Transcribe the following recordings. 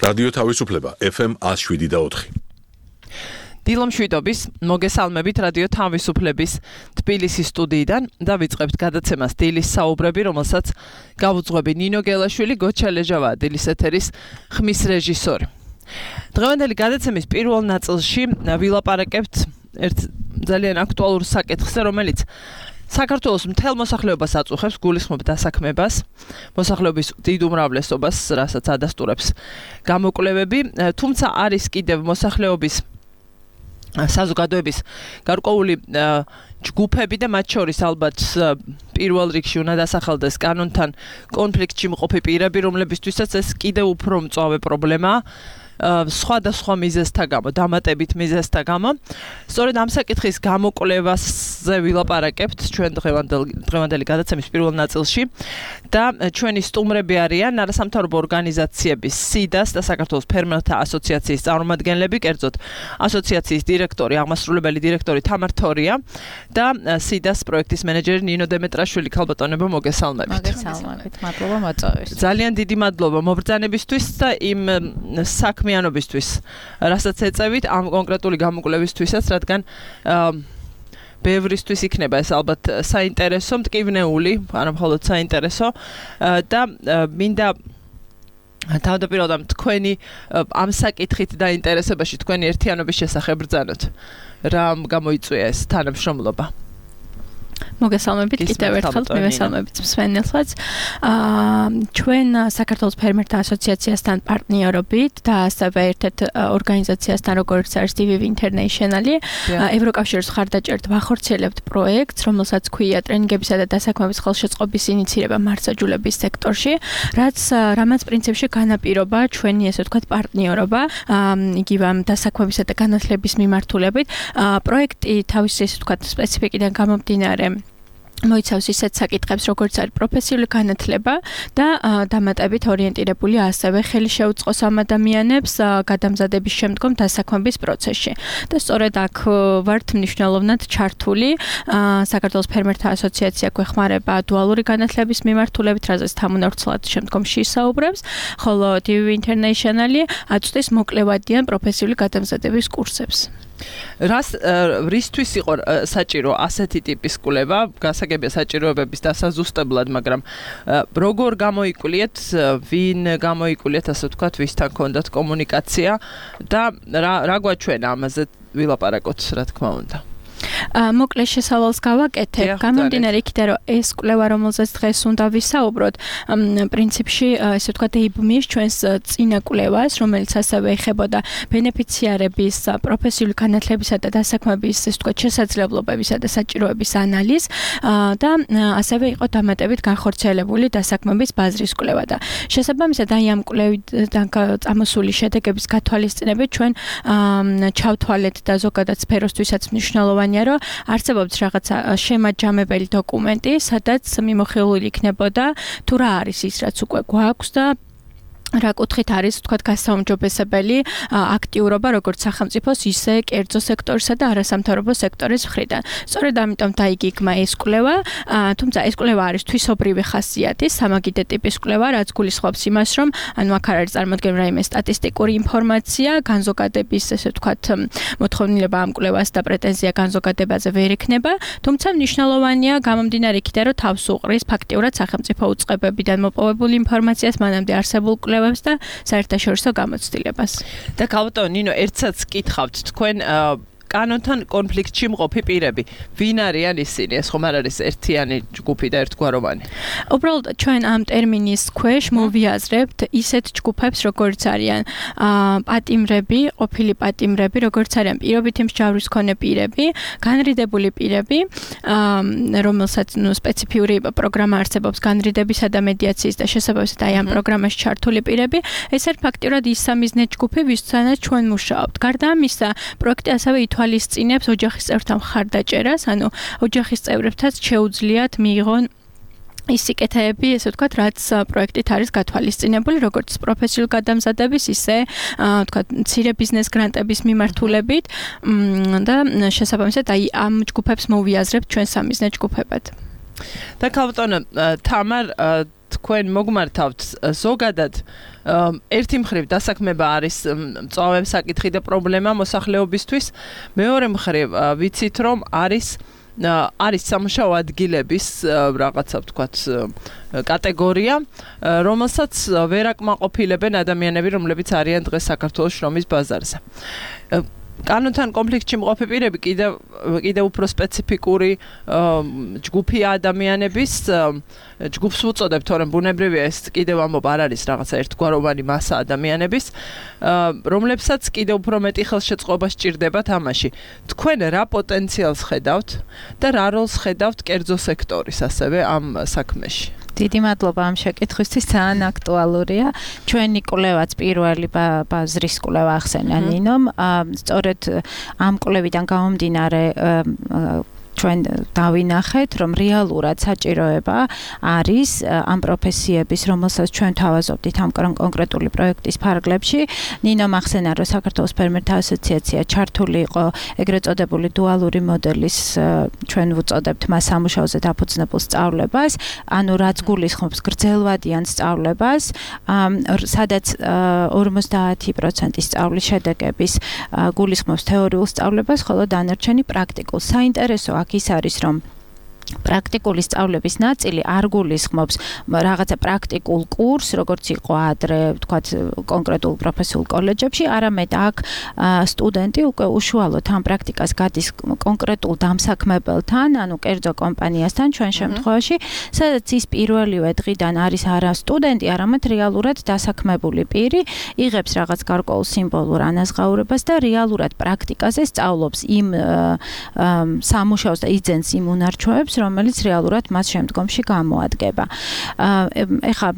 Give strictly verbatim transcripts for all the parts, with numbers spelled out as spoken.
რადიო თავისუფლება ეფ ემ one oh seven და four. დილომშვიდობის მოგესალმებით რადიო თავისუფლების თბილისის სტუდიიდან და ვიწყებთ გადაცემას დილის საუბრები, რომელსაც გავუძღვები ნინო გელაშვილი, გოჩა ლეჟავა, დილის ეთერის ხმის რეჟისორი. დღევანდელი გადაცემის პირველ ნაწილში ვილაპარაკებთ ერთ ძალიან აქტუალურ საკითხზე, რომელიც საქართველოს მთელ მოსახლეობას აწუხებს, გულისხმობ დასაქმებას, მოსახლეობის დიდ უმრავლესობას, რასაც ადასტურებს გამოკვლევები, თუმცა არის კიდევ მოსახლეობის საზოგადოების გარკვეული ჯგუფები და მათ შორის ალბათ პირველ რიგში უნდა დასახელდეს კანონთან კონფლიქტში მყოფი პირები, რომლებისთვისაც ეს კიდევ უფრო მწვავე პრობლემაა. სხვადასხვა მიზეზთა გამო, დამატებით მიზეზთა გამო. სწორედ ამ საკითხის გამოკვლევაზე ვილაპარაკებთ ჩვენ დღევანდელი გადაცემის პირველ ნაწილში და ჩვენი სტუმრები არიან არასამთავრობო ორგანიზაციების სიდას და საქართველოს ფერმერთა ასოციაციის წარმომადგენლები, კერძოდ ასოციაციის დირექტორი, აღმასრულებელი დირექტორი თამარ თორია და სიდას პროექტის მენეჯერი ნინო დემეტრაშვილი. ქალბატონებო, მოგესალმებით. მოგესალმებით. მადლობა მოწვევისთვის. ძალიან დიდი მადლობა მობრძანებისთვის და იმ საქმე მიანობისთვის, რასაც ეწევით ამ კონკრეტული გამოკვლევისთვისაც, რადგან ბევრისთვის იქნება ეს ალბათ საინტერესო, მტკივნეული, არა მხოლოდ საინტერესო და მინდა თავდაპირველად თქვენი ამ საკითხით დაინტერესებაში თქვენი ერთიანობის შესახებ ბრძანოთ. რა გამოიწვია ეს თანამშრომლობა? მოგესალმებით კიდევ ერთხელ მივესალმებით მსმენელსაც. ჩვენ საქართველოს ფერმერთა ასოციაციასთან პარტნიორობით და ასევე ერთ-ერთ ორგანიზაციასთან, როგორც არის დი ვი ვი International-ი, ევროკავშირის მხარდაჭერით ვახორციელებთ პროექტს, რომელსაც ქვია ტრენინგებისა და დასაქმების ხელშეწყობის ინიცირება მარცაჯულების სექტორში, რაც რამაც პრინციპში განაპირობა ჩვენი ესე ვთქვათ პარტნიორობა, იგივე ამ დასაქმებისა და განათლების მიმართულებით. პროექტი თავისი ესე ვთქვათ სპეციფიკიდან გამომდინარე მოიცავს ისეთ საკითხებს, როგორც არის პროფესიული განათლება და დამატებით ორიენტირებული ასევე ხელი შეუწყოს ამ ადამიანებს გადამზადების შემდგომ დასაქმების პროცესში. და სწორედ აქ ვართ მნიშვნელოვნად ჩართული. საქართველოს ფერმერთა ასოციაცია გვეხმარება დუალური განათლების მიმართულებით, რაზეც თამუნარცლად შემდგომში ისაუბრებს, ხოლო დი ვი ვი International-ი აწვდის მოკლევადიან პროფესიული გადამზადების კურსებს. რას რისთვის იყო საჭირო ასეთი ტიპის კვლევა, გასაგებია საჭიროებების დასაზუსტებლად, მაგრამ როგორ გამოიკულიეთ, ვინ გამოიკულიეთ, ასე ვთქვათ, ვისთან ჰქონდათ კომუნიკაცია და რა რა გვაჩვენა ამაზე ვილაპარაკოთ, რა თქმა უნდა. მოკლე შესავალს გავაკეთებ. გამომდინარე იქიდან, რომ ეს კვლევა, რომელზეც დღეს უნდა ვისაუბროთ, პრინციპში, ესე ვთქვათ, ეიბმის ჩვენს წინა კვლევას, რომელიც ასევე ეხებოდა ბენეფიციარების პროფესიული განათლებისა და დასაქმების, ესე ვთქვათ, შესაძლებლობებისა და საჭიროების ანალიზს და ასევე იყო დამატებით განხორციელებული დასაქმების ბაზრის კვლევა და შესაბამისად აი ამ კვლევიდან წამოსული შედეგების გათვალისწინებით ჩვენ ჩავთვალეთ და ზოგადად სფეროსთვისაც მნიშვნელოვანი რომ არსებობს რაღაცა შემაჯამებელი დოკუმენტი, სადაც მიმოხილული იქნებოდა თუ რა არის ის, რაც უკვე გვაქვს და რა კუთხით არის, ვთქვათ, გასაუმჯობესებელი აქტიურობა როგორც სახელმწიფოს, ისე კერძო სექტორისა და არასამთავრობო სექტორის მხრიდან. სწორედ ამიტომ დაიგეგმა ეს კვლევა, თუმცა ეს კვლევა არის თვისობრივი ხასიათის, სამაგიდე ტიპის კვლევა, რაც გულისხმობს იმას, რომ ანუ აქ არ არის წარმოქმნილი რაიმე სტატისტიკური ინფორმაცია, განზოგადების, ესე ვთქვათ, მოთხოვნილება ამ კვლევას და პრეტენზია განზოგადებაზე ვერ იქნება, თუმცა მნიშვნელოვანია გამომდინარე იქიდან, რომ თავს უყრის ფაქტიურად სახელმწიფო უწყებებიდან მოპოვებული ინფორმაციას, მანამდე არსებულ და საერთაშორისო გამოცდილებას. და ქალბატონო ნინო, ერთსაც კითხავთ თქვენ კანონთან კონფლიქტში მყოფი პირები. ვინ არიან ისინი? ეს ხომ არ არის ერთიანი ჯგუფი და ერთგვაროვანი? უბრალოდ ჩვენ ამ ტერმინის ქვეშ მოვიაზრებთ ისეთ ჯგუფებს, როგორც არიან პატიმრები, ყოფილი პატიმრები, როგორც არიან პირობითი მსჯავრების მქონე პირები, განრიდებული პირები, რომელსაც ნუ სპეციფიური პროგრამა არსებობს განრიდებისა და მედიაციის და შესაბამისად აი ამ პროგრამაში ჩართული პირები. ეს არის ფაქტიურად ის სამიზნე ჯგუფი, ვისთანაც ჩვენ მუშაობთ. გარდა ამისა, პროექტი ასევე ითვალისწინებს ოჯახის წევრთა მხარდაჭერას, ანუ ოჯახის წევრებთაც შეუძლიათ მიიღონ ის სიკეთეები, ესე ვთქვათ, რაც პროექტით არის გათვალისწინებული, როგორც პროფესიული გადამზადების, ისე ვთქვათ, მცირე ბიზნეს გრანტების მიმართულებით და შესაბამისად აი ამ ჯგუფებს მოვიაზრებთ ჩვენ სამიზნე ჯგუფებად. და ქალბატონო თამარ თქვენ მოგმართავთ ზოგადად ერთი მხრივ დასაქმება არის მწვავემ საკითხი და პრობლემა მოსახლეობისთვის, მეორე მხრივ ვიცით რომ არის არის სამუშაო ადგილების რაღაცა ვთქვათ კატეგორია, რომელსაც ვერ აკმაყოფილებენ ადამიანები, რომლებიც არიან დღეს საქართველოს შრომის ბაზარზე. კანონთან კონფლიქტში მყოფი პირები კიდევ კიდევ უფრო სპეციფიკური ჯგუფი ადამიანების ჯგუფს უწოდებთ, თორემ ბუნებრივია ეს კიდევ ამბობ არ არის რაღაცა ერთგვაროვანი მასა ადამიანების, რომლებსაც კიდევ უფრო მეტი ხელშეწყობა სჭირდებათ ამაში. თქვენ რა პოტენციალს ხედავთ და რა როლს ხედავთ კერძო სექტორის ასევე ამ საქმეში? დიდი მადლობა ამ შეკითხვისთვის, ძალიან აქტუალურია. ჩვენი კვლევაც პირველი ბაზრის კვლევა ახსენა ნინომ, სწორედ ამ კვლევიდან გამომდინარე ჩვენ დავინახეთ, რომ რეალურად საჭიროება არის ამ პროფესიების, რომელსაც ჩვენ თავაზობდით ამ კონკრეტული პროექტის ფარგლებში. ნინო ახსენა, რომ საქართველოს ფერმერთა ასოციაცია ჩართული იყო ეგრეთ წოდებული დუალური მოდელის, ჩვენ ვუწოდებთ მას სამუშაოზე დაფუძნებულ სწავლებას, ანუ რაც გულისხმობს გრძელვადიან სწავლებას, სადაც ორმოცდაათი პროცენტი სწავლის შედეგების გულისხმობს თეორიულ სწავლებას, ხოლო დანარჩენი პრაქტიკულ. საინტერესო ის არის რომ პრაქტიკული სწავლების ნაწილი არ გულისხმობს რაღაცა პრაქტიკულ კურსს, როგორც იყო ადრე, ვთქვათ, კონკრეტულ პროფესიულ კოლეჯებში, არამედ აქ სტუდენტი უკვე უშუალოდ ამ პრაქტიკას გადის კონკრეტულ დამსაქმებელთან, ანუ კერძო კომპანიასთან ჩვენ შემთხვევაში, სადაც ის პირველივე დღიდან არის არა სტუდენტი, არამედ რეალურად დასაქმებული პირი, იღებს რაღაც გარკვეულ სიმბოლურ ანაზღაურებას და რეალურად პრაქტიკაზე სწავლობს იმ სამუშაოს და იძენს იმ უნარჩვევებს, რომელიც რეალურად მას შემდგომში გამოადგება. ეხლა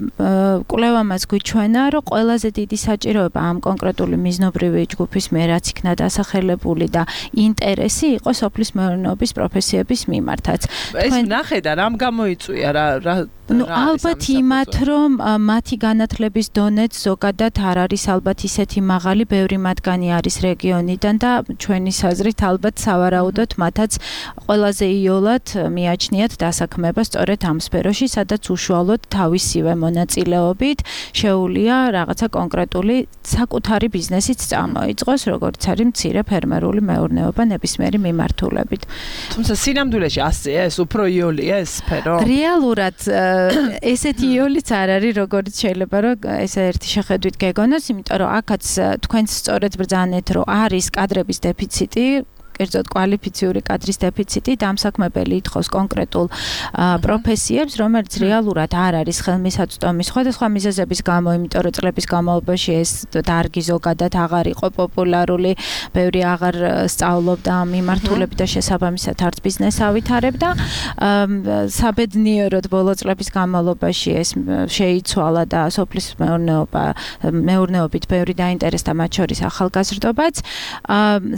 კვლევამაც გვიჩვენა, რომ ყველაზე დიდი საჭიროება ამ კონკრეტული მიზნობრივი ჯგუფის მიერ რაც იქნა დასახელებული და ინტერესი იყო სოფლის მეურნეობის პროფესიების მიმართაც. ეს ნახე და რამ გამოიწვია რა რა ну ალბათ იმათ რომ მათი განათლების დონეც ზოგადად არ არის ალბათ ისეთი მაღალი, ბევრი მათგანი არის რეგიონიდან და ჩვენი საზრით ალბათ სავარაუდოდ მათაც ყველაზე იოლად მიაჩნიათ დასაქმება სწორედ ამ სფეროში, სადაც უშუალოდ თავისივე მონაწილეობით შეუძლია რაღაცა კონკრეტული საკუთარი ბიზნესიც წამოიწყოს, როგორც არის მცირე ფერმერული მეურნეობა ნებისმიერი მიმართულებით. თუმცა სინამდვილეში ასეა, ეს უფრო იოლია ეს სფერო. რეალურად ესეთი იოლიც არ არის, როგორც შეიძლება რომ ესე ერთი შეხედვით გეგონოს, იმიტომ რომ აქაც თქვენს სწორედ ბრძანეთ, რომ არის კადრების დეფიციტი, კერძოდ კვალიფიციური კადრის დეფიციტი, დამსაქმებელი ითხოვს კონკრეტულ პროფესიებს, რომელიც რეალურად არ არის ხელმისაწვდომი სხვადასხვა მიზეზების გამო, იმიტომ რომ წლების განმავლობაში ეს დარგი ზოგადად აღარ იყო პოპულარული, ბევრი აღარ სწავლობდა ამ მიმართულებით და შესაბამისად არც ბიზნესს ავითარებდა. საბედნიეროდ ბოლო წლების განმავლობაში ეს შეიცვალა და სოფლის მეურნეობა მეურნეობით ბევრი დაინტერესდა, მათ შორის ახალგაზრდობაც.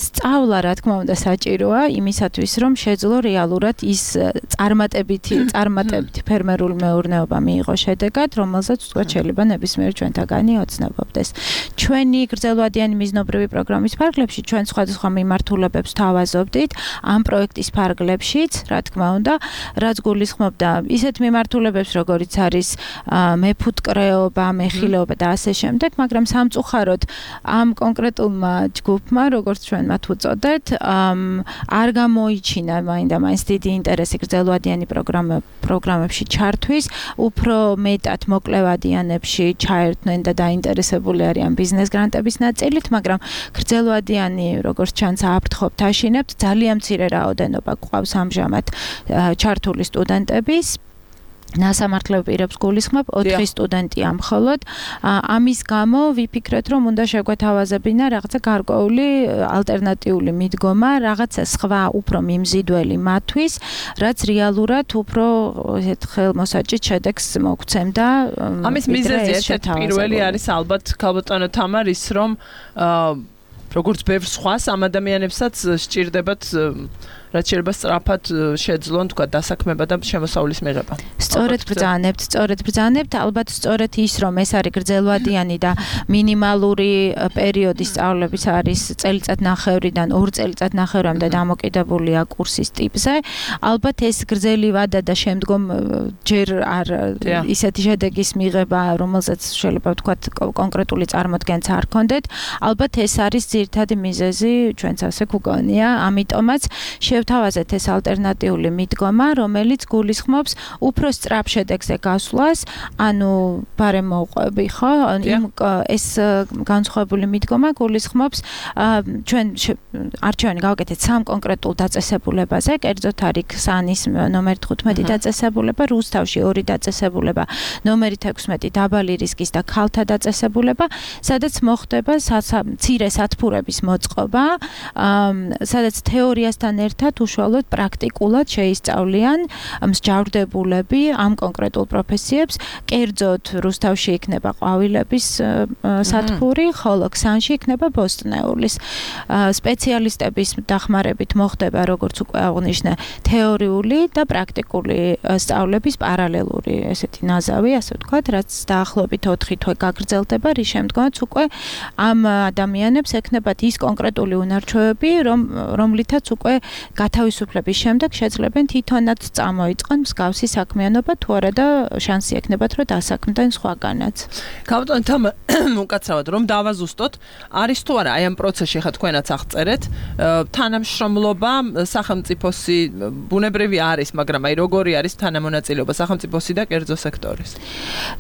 სწავლა, რა თქმა უნდა, საჭიროა იმისათვის, რომ შეძლო რეალურად ის წარმატებითი წარმატებითი ფერმერული მეურნეობა მიიღო შედეგად, რომელსაც თქვა შეიძლება ნებისმიერ ჩვენთაგანი ოცნებობდეს. ჩვენი გრძელვადიანი მიზნობრივი პროგრამის ფარგლებში ჩვენ სხვადასხვა მიმართულებებს თავაზობდით, ამ პროექტის ფარგლებშიც, რა თქმა უნდა, რაც გულისხმობდა ისეთ მიმართულებებს, როგორიც არის მეფუტკრეობა, მეხილეობა და ასე შემდეგ, მაგრამ სამწუხაროდ ამ კონკრეტულმა ჯგუფმა, როგორც ჩვენ მათ უწოდეთ, არ გამოიჩინა მაინდა-მაინც დიდი ინტერესი გრძელვადიანი პროგრამებში ჩართვის, უფრო მეტად მოკლევადიანებში ჩაერთნენ და დაინტერესებული არიან ბიზნეს გრანტების ნაწილით, მაგრამ გრძელვადიანი, როგორც ჩანს, აფრთხობთ, აშინებთ, ძალიან მცირე რაოდენობა გვყავს ამჟამად ჩართული სტუდენტების. ნასამართლებ პირებს გულისხმობ ოთხი სტუდენტია მხოლოდ. ამის გამო ვიფიქრეთ, რომ უნდა შეგვეთავაზებინა რაღაცა გარკვეული ალტერნატიული მიდგომა, რაღაცა სხვა უფრო მიმზიდველი მათთვის, რაც რეალურად უფრო ესეთ ხელმოსაჭრით შედეგს მოგცემდა. ამის მიზეზი ერთ-ერთი პირველი არის ალბათ ქალბატონო თამარ ის, რომ როგორც ბევრ სხვას ამ ადამიანებსაც სჭირდებათ რაც შეიძლება სწრაფად შეძლონ თქვა დასაქმება და შემოსავლის მიღება. სწორედ ბრძანებთ, სწორედ ბრძანებთ, ალბათ სწორედ ის რომ ეს არის გრძელვადიანი და მინიმალური პერიოდის სწავლების არის წელიწადნახევრიდან ორ წელიწადნახევრამდე დამოკიდებულია კურსის ტიპზე. ალბათ ეს გრძელი ვადა და შემდგომ ჯერ არ ისეთი შედეგის მიღება, რომელზეც შეიძლება ვთქვათ კონკრეტული წარმოდგენაც არ ქონდეთ. ალბათ ეს არის ძირითადი მიზეზი ჩვენც ასე გვგონია. ამიტომაც შევთავაზეთ ეს ალტერნატიული მიდგომა, რომელიც გულისხმობს უფრო სწრაფ შედეგზე გასვლას, ანუ ბარემ მოყვები, ხო? იმ ეს განსხვავებული მიდგომა გულისხმობს ჩვენ არჩევანი გავაკეთეთ სამ კონკრეტულ დაწესებულებაზე, კერძოდ არის ქსანის ნომერი თხუთმეტი დაწესებულება, რუსთავში ორი დაწესებულება, ნომერი თექვსმეტი დაბალი რისკის და ქალთა დაწესებულება, სადაც მოხდება მცირე სათბურების მოწყობა, სადაც თეორიასთან ერთად უშუალოდ პრაქტიკულად შეისწავლიან მსჯავრდებულები ამ კონკრეტულ პროფესიებს, კერძოდ რუსთავში იქნება ყვავილების სათბური, ხოლო ქსანში იქნება ბოსტნეულის. სპეციალისტების დახმარებით მოხდება, როგორც უკვე აღვნიშნე, თეორიული და პრაქტიკული სწავლების პარალელური ესეთი ნაზავი, ასე ვთქვათ, რაც დაახლოებით ოთხი თვე გაგრძელდება, რის შემდგომაც უკვე ამ ადამიანებს ექნებათ ის კონკრეტული უნარჩვევები, რომ რომლითაც უკვე გათავისუფლების შემდეგ შეძლებენ თვითონაც წამოიწყონ მსგავსი საქმიანობა, თუ არა და შანსი ექნებათ, რომ დასაქმდნენ სხვაგანაც. ქალბატონო თამა უკაცრავად რომ დავაზუსტოთ, არის თუ არა აი ამ პროცესში ხა თქვენაც აღწერეთ, თანამშრომლობა სახელმწიფოსი ბუნებრივი არის, მაგრამ აი როგორი არის თანამონაწილეობა სახელმწიფოსი და კერძო სექტორის?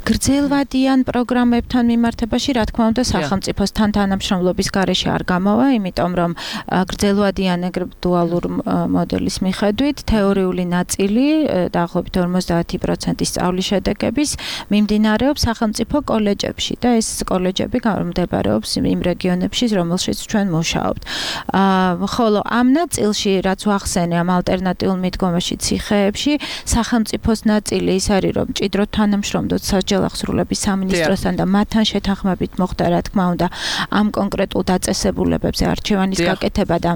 გრძელვადიან პროგრამებთან მიმართებაში, რა თქმა უნდა, სახელმწიფოსთან თანამშრომლობის გარეშე არ გამოვა, იმიტომ რომ გრძელვადიან ეგრეთ დუალურ მოდელის მიხედვით თეორიული ნაწილი დაახლოებით ორმოცდაათი პროცენტი სწავლის შედეგების მიმდინარეობს სახელმწიფო კოლეჯებში და ეს კოლეჯები მდებარეობს იმ რეგიონებში, რომელშიც ჩვენ მუშაობთ. ხოლო ამ ნაწილში, რაც ვახსენე ამ ალტერნატიულ მიდგომაში ციხეებში, სახელმწიფოს ნაწილი ის არის, რომ მჭიდროდ თანამშრომლობთ სასჯელ აღსრულების სამინისტროსთან და მათთან შეთანხმებით მოხდა, რა თქმა უნდა, ამ კონკრეტულ დაწესებულებებზე არჩევანის გაკეთება და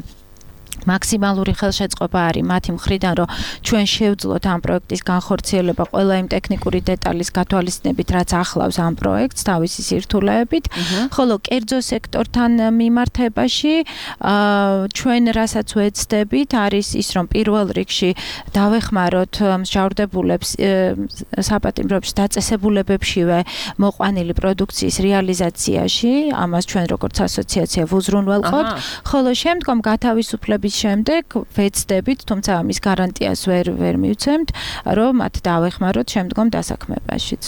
მაქსიმალური ხელშეწყობა არის მათი მხრიდან, რომ ჩვენ შევძლოთ ამ პროექტის განხორციელება ყველა იმ ტექნიკური დეტალის გათვალისწინებით, რაც ახლავს ამ პროექტს თავისი სირთულეებით, ხოლო კერძო სექტორთან მიმართებაში ჩვენ რასაც ვეცდებით, არის ის, რომ პირველ რიგში დავეხმაროთ მსჯავრდებულებს საპატიმროებში დაწესებულებებშივე მოყვანილი პროდუქციის რეალიზაციაში, ამას ჩვენ როგორც ასოციაცია ვუზრუნველყოფთ, ხოლო შემდგომ გათავისუფლების შემდეგ ვეცდებით, თუმცა ამის გარანტიას ვერ ვერ მივცემთ, რომ მათ დავეხმაროთ შემდგომ დასაქმებაშიც.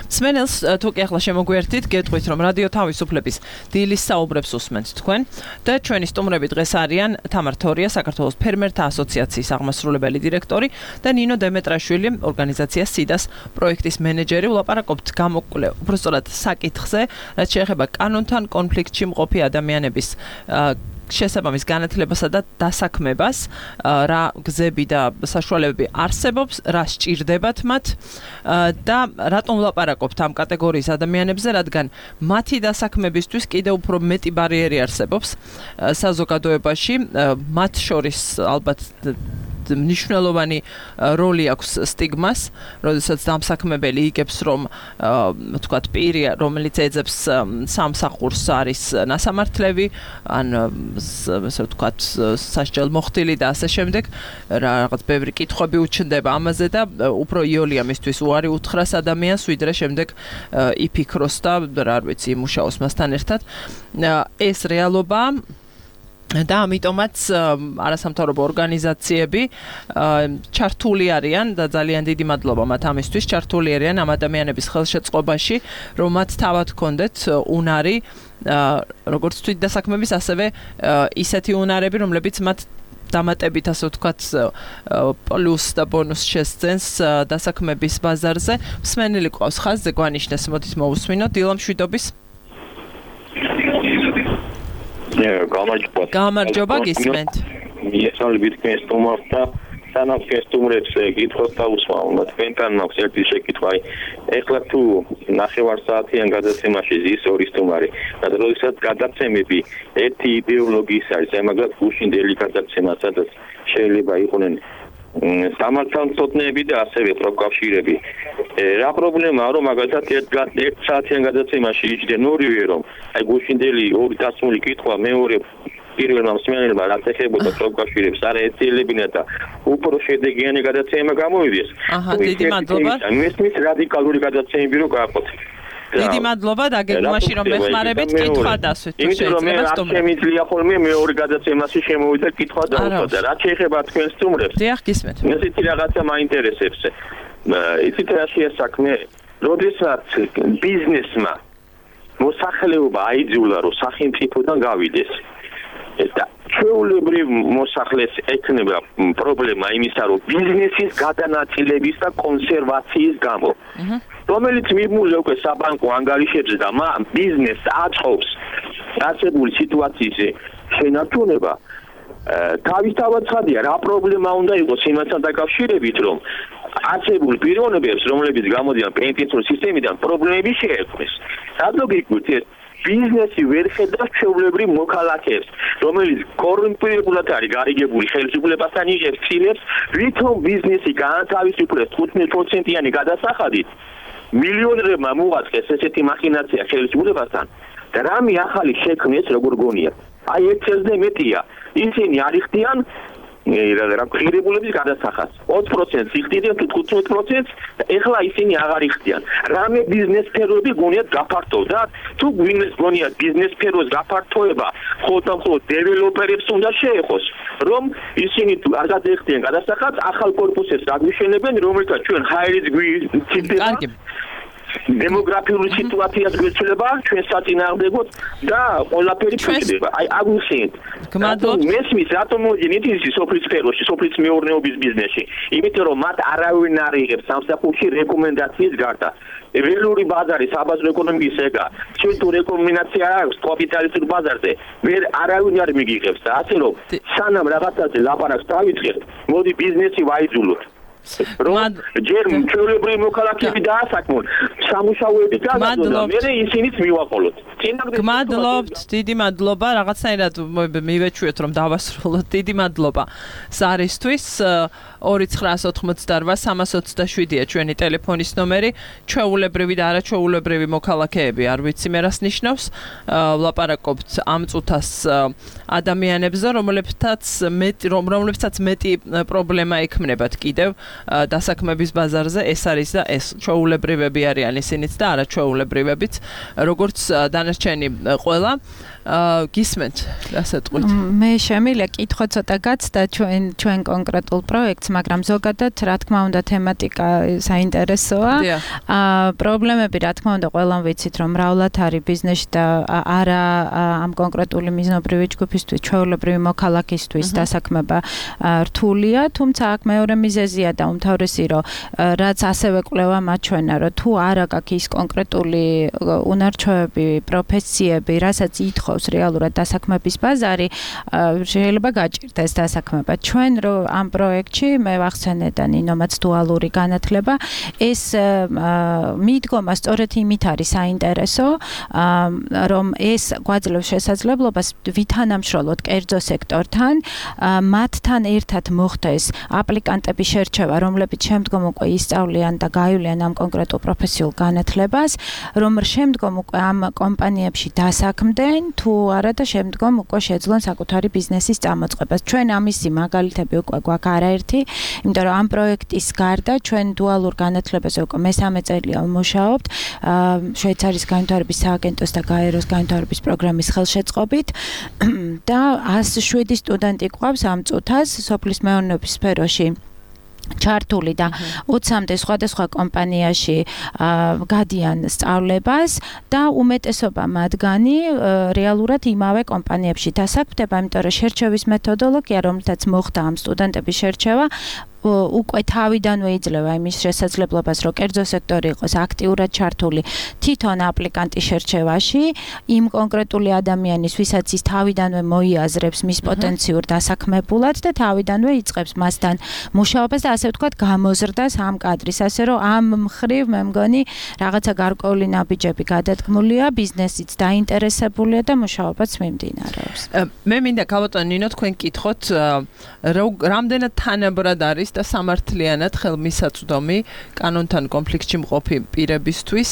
სმენელს თუ კი ახლა შემოგვიერთით, გეტყვით, რომ რადიო თავისუფლების დილის საუბრებს უსმენთ თქვენ და ჩვენი სტუმრები დღეს არიან თამარ თორია, საქართველოს ფერმერთა ასოციაციის აღმასრულებელი დირექტორი და ნინო დემეტრაშვილი, ორგანიზაცია სიდას პროექტის მენეჯერი. ვლაპარაკობთ გამოკვლევ, უბრალოდ საკითხზე, რაც შეეხება კანონთან კონფლიქტში მყოფი ადამიანების შესაბამის განათლებასა და დასაქმებას, რა გზები და საშუალებები არსებობს, რა სჭირდებათ მათ და რატომ ვლაპარაკობთ ამ კატეგორიის ადამიანებზე, რადგან მათი დასაქმებისთვის კიდევ უფრო მეტი ბარიერი არსებობს საზოგადოებაში, მათ შორის ალბათ მნიშვნელოვანი როლი აქვს სტიგმას, როდესაც დამსაქმებელი იგებს, რომ ვთქვათ, პირი, რომელიც ეძებს სამსახურს არის ნასამართლები, ან ასე ვთქვათ, სასჯელ მოხდილი და ასე შემდეგ, რაღაც ბევრი კითხვები უჩნდება ამაზე და უფრო იოლია მისთვის უარი უთხრას ადამიანს, ვიდრე შემდეგ იფიქროს და რა ვიცი, იმუშაოს მასთან ერთად. ეს რეალობაა. და ამიტომაც არასამთავრობო ორგანიზაციები ჩართული არიან და ძალიან დიდი მადლობა მათ ამისთვის, ჩართული არიან ამ ადამიანების ხელშეწყობაში, რომ მათ თავად ჰქონდეთ უნარი, როგორც თვითდასაქმების, ასევე ისეთი უნარები, რომლებიც მათ დამატებით, ასე ვთქვათ, პლუს და ბონუს შესძენს დასაქმების ბაზარზე. მსმენელი ყავს ხაზზე, გვანიშნეს, მოდით მოვუსმინოთ. დილა მშვიდობის. გამარჯობა. გამარჯობა, გისმენთ. მიესალმებით თქვენს სტუმარს და სანამ სტუმრებს კითხოს დაუსვამ, თქვენთან მაქვს ერთი შეკითხვა. ეხლა თუ ნახევარ საათიან გადაცემაში ზის ორი სტუმარი, და როდესაც გადაცემები ერთი იდეოლოგიის არის, აი მაგალითად გუშინდელი გადაცემა, სადაც შეიძლება იყვნენ სამართალმცოდნეები და ასევე პროფკავშირები. რა პრობლემაა, რომ მაგალითად ერთ საათიან გადაცემაში იჯდნენ ორივე, რომ აი გუშინდელი ორი დასმული კითხვა მეორე პირველმა მსმენელმა რაც ეხებოდა პროფკავშირებს არ ეცელებინა და უფრო შედეგიანი გადაცემა გამოვიდეს. აჰა, დიდი მადლობა. მესმის რადიკალური გადაცემები რო გააყოთ. დიდი მადლობა და გეგმაში რომ მეხმარებით კითხვა დასვით. იმიტომ რომ მე არ შემიძლია ხოლმე მეორე გადაცემაში შემოვიდა კითხვა დავუშვათ და რაც შეეხება თქვენ სტუმრებს. დიახ, გისმენთ. ესეთი რაღაცა მაინტერესებს. იცით რა შეასაქმე, როდესაც ბიზნესმა მოსახლეობა აიძულა რომ სახელმწიფოდან გავიდეს. და ჩვეულებრივ მოსახლეს ექნება პრობლემა იმისა, რომ ბიზნესის გადანაწილების და კონსერვაციის გამო, რომელიც მიბმულია უკვე საბანკო ანგარიშებზე და მან ბიზნესს აწყობს არსებული სიტუაციის შენარჩუნება, თავისთავად ცხადია, რა პრობლემა უნდა იყოს იმასთან დაკავშირებით, რომ არსებულ პიროვნებებს, რომლებიც გამოდიან პენსიურ სისტემიდან, პრობლემები შეექმნეს. რადგან ეს ბიზნესი ვერ ხედავს ჩვეულებრივ მოქალაქეებს, რომელიც კორუმპირებულად არის გარიგებული ხელისუფლებასთან იღებს ცილებს, ვითომ ბიზნესი განათავისუფლეს თხუთმეტ პროცენტიანი გადასახადით, მილიონერებმა მოუღწეს ესეთი მახინაცია ხელისუფლებასთან და რამე ახალი შექმნეს როგორ გონია. აი ერთ წელზე მეტია, ისინი არ იხდიან რა ღირებულების გადასახადს. ოც პროცენტს იხდიან თუ თხუთმეტ პროცენტს და ეხლა ისინი აღარ იხდიან. რამე ბიზნეს სფეროები გონიათ გაფართოვდათ? თუ გვინეს გონიათ ბიზნეს სფეროს გაფართოება, მხოლოდ და მხოლოდ დეველოპერებს უნდა შეეხოს, რომ ისინი თუ არ გადაეხდიან გადასახადს, ახალ კორპუსებს აგვიშენებენ, რომელთაც ჩვენ ჰაერიც გვიწირდება. დემოგრაფიული სიტუაციას გვეცვლება, ჩვენ საწინააღმდეგოდ და ყველაფერი ფიქრდება. აი აგვიხსენეთ. გმადლობთ. მესმის რატომ მოდიან ისი სოფლის სფეროში, სოფლის მეურნეობის ბიზნესში? იმიტომ რომ მათ არავინ არ იღებს სამსახურში რეკომენდაციის გარდა. ველური ბაზარი საბაზრო ეკონომიკის ეგა. ჩვენ თუ რეკომენდაცია აქვს კაპიტალისტურ ბაზარზე, ვერ არავინ არ მიგიღებს და ასე რომ სანამ რაღაცაზე ლაპარაკს დავიწყებთ, მოდი ბიზნესი ვაიძულოთ. რომ ჯერ ჩვეულებრივი მოქალაქეები დაასაქმონ, სამუშაოები გადადონ, მე ისინიც მივაყოლოთ. გმადლობთ, დიდი მადლობა, რაღაცნაირად მივეჩვიოთ რომ დავასრულოთ. დიდი მადლობა. ზარისთვის ორი ცხრა ოთხმოცდაოთხ სამას ოცდაშვიდია ჩვენი ტელეფონის ნომერი. ჩვეულებრივი და არაჩვეულებრივი მოქალაქეები, არ ვიცი მე რას ნიშნავს. ვლაპარაკობთ ამ წუთას ადამიანებზე, რომლებსაც მეტი რომლებსაც მეტი პრობლემა ექმნებათ კიდევ დასაქმების ბაზარზე. ეს არის და ეს ჩვეულებრივები არიან ისინიც და არაჩვეულებრივებიც, როგორც დანარჩენი ყველა. გისმენთ, რასატყვით? მე შემიძლია კითხვა ცოტა გაცდა ჩვენ ჩვენ კონკრეტულ პროექტს, მაგრამ ზოგადად რა თქმა უნდა თემატიკა საინტერესოა. პრობლემები რა თქმა უნდა ყველამ ვიცით რომ მრავლად არის ბიზნესში და არა ამ კონკრეტული მიზნობრივი ჯგუფისთვის, ჩვეულებრივი მოქალაქისთვის დასაქმება რთულია, თუმცა აქ მეორე მიზეზია და უმთავრესი რომ რაც ასევე კვლევა მაჩვენა, რომ თუ არ აქვს ის კონკრეტული უნარჩვევები, პროფესიები, რასაც ითხოვს რეალურად დასაქმების ბაზარი, შეიძლება გაჭირდეს დასაქმება. ჩვენ რო ამ პროექტში მე ვახსენე და ნინომაც დუალური განათლება, ეს მიდგომა სწორედ იმით არის საინტერესო, რომ ეს გვაძლევს შესაძლებლობას ვითანამშრომლოთ კერძო სექტორთან, მათთან ერთად მოხდეს აპლიკანტების შერჩევა, რომლებიც შემდგომ უკვე ისწავლიან და გაივლიან ამ კონკრეტულ პროფესიულ განათლებას, რომ შემდგომ უკვე ამ კომპანიებში დასაქმდნენ, თუ არა და შემდგომ უკვე შეძლონ საკუთარი ბიზნესის წამოწყებას. ჩვენ ამისი მაგალითები უკვე გვაქვს არაერთი, იმიტომ რომ ამ პროექტის გარდა ჩვენ დუალურ განათლებაზე უკვე მესამე წელია ვმუშაობთ, შვეიცარიის განვითარების სააგენტოს და გაეროს განვითარების პროგრამის ხელშეწყობით და ას შვიდი სტუდენტი გვყავს ამ წუთას სოფლის მეურნეობის სფეროში. ჩართული და ოცამდე სხვადასხვა კომპანიაში გადიან სწავლებას და უმეტესობა მათგანი რეალურად იმავე კომპანიებში დასაქმდება, იმიტომ რომ შერჩევის მეთოდოლოგია, რომელთაც მოხდა ამ სტუდენტების შერჩევა, უკვე თავიდანვე იძლევა იმის შესაძლებლობას, რომ კერძო სექტორი იყოს აქტიურად ჩართული თვითონ აპლიკანტის შერჩევაში, იმ კონკრეტული ადამიანის, ვისაც ის თავიდანვე მოიაზრებს მის პოტენციურ დასაქმებულად და თავიდანვე იწყებს მასთან მუშაობას და ასე ვთქვათ, გამოზრდას ამ კადრის, ასე რომ ამ მხრივ მე მგონი რაღაცა გარკვეული ნაბიჯები გადადგმულია, ბიზნესიც დაინტერესებულია და მუშაობაც მიმდინარეობს. მე მინდა გავატონო ნინო თქვენ კითხოთ, რამდენად თანაბრად არის და სამართლიანად ხელმისაწვდომი კანონთან კონფლიქტში მყოფი პირებისთვის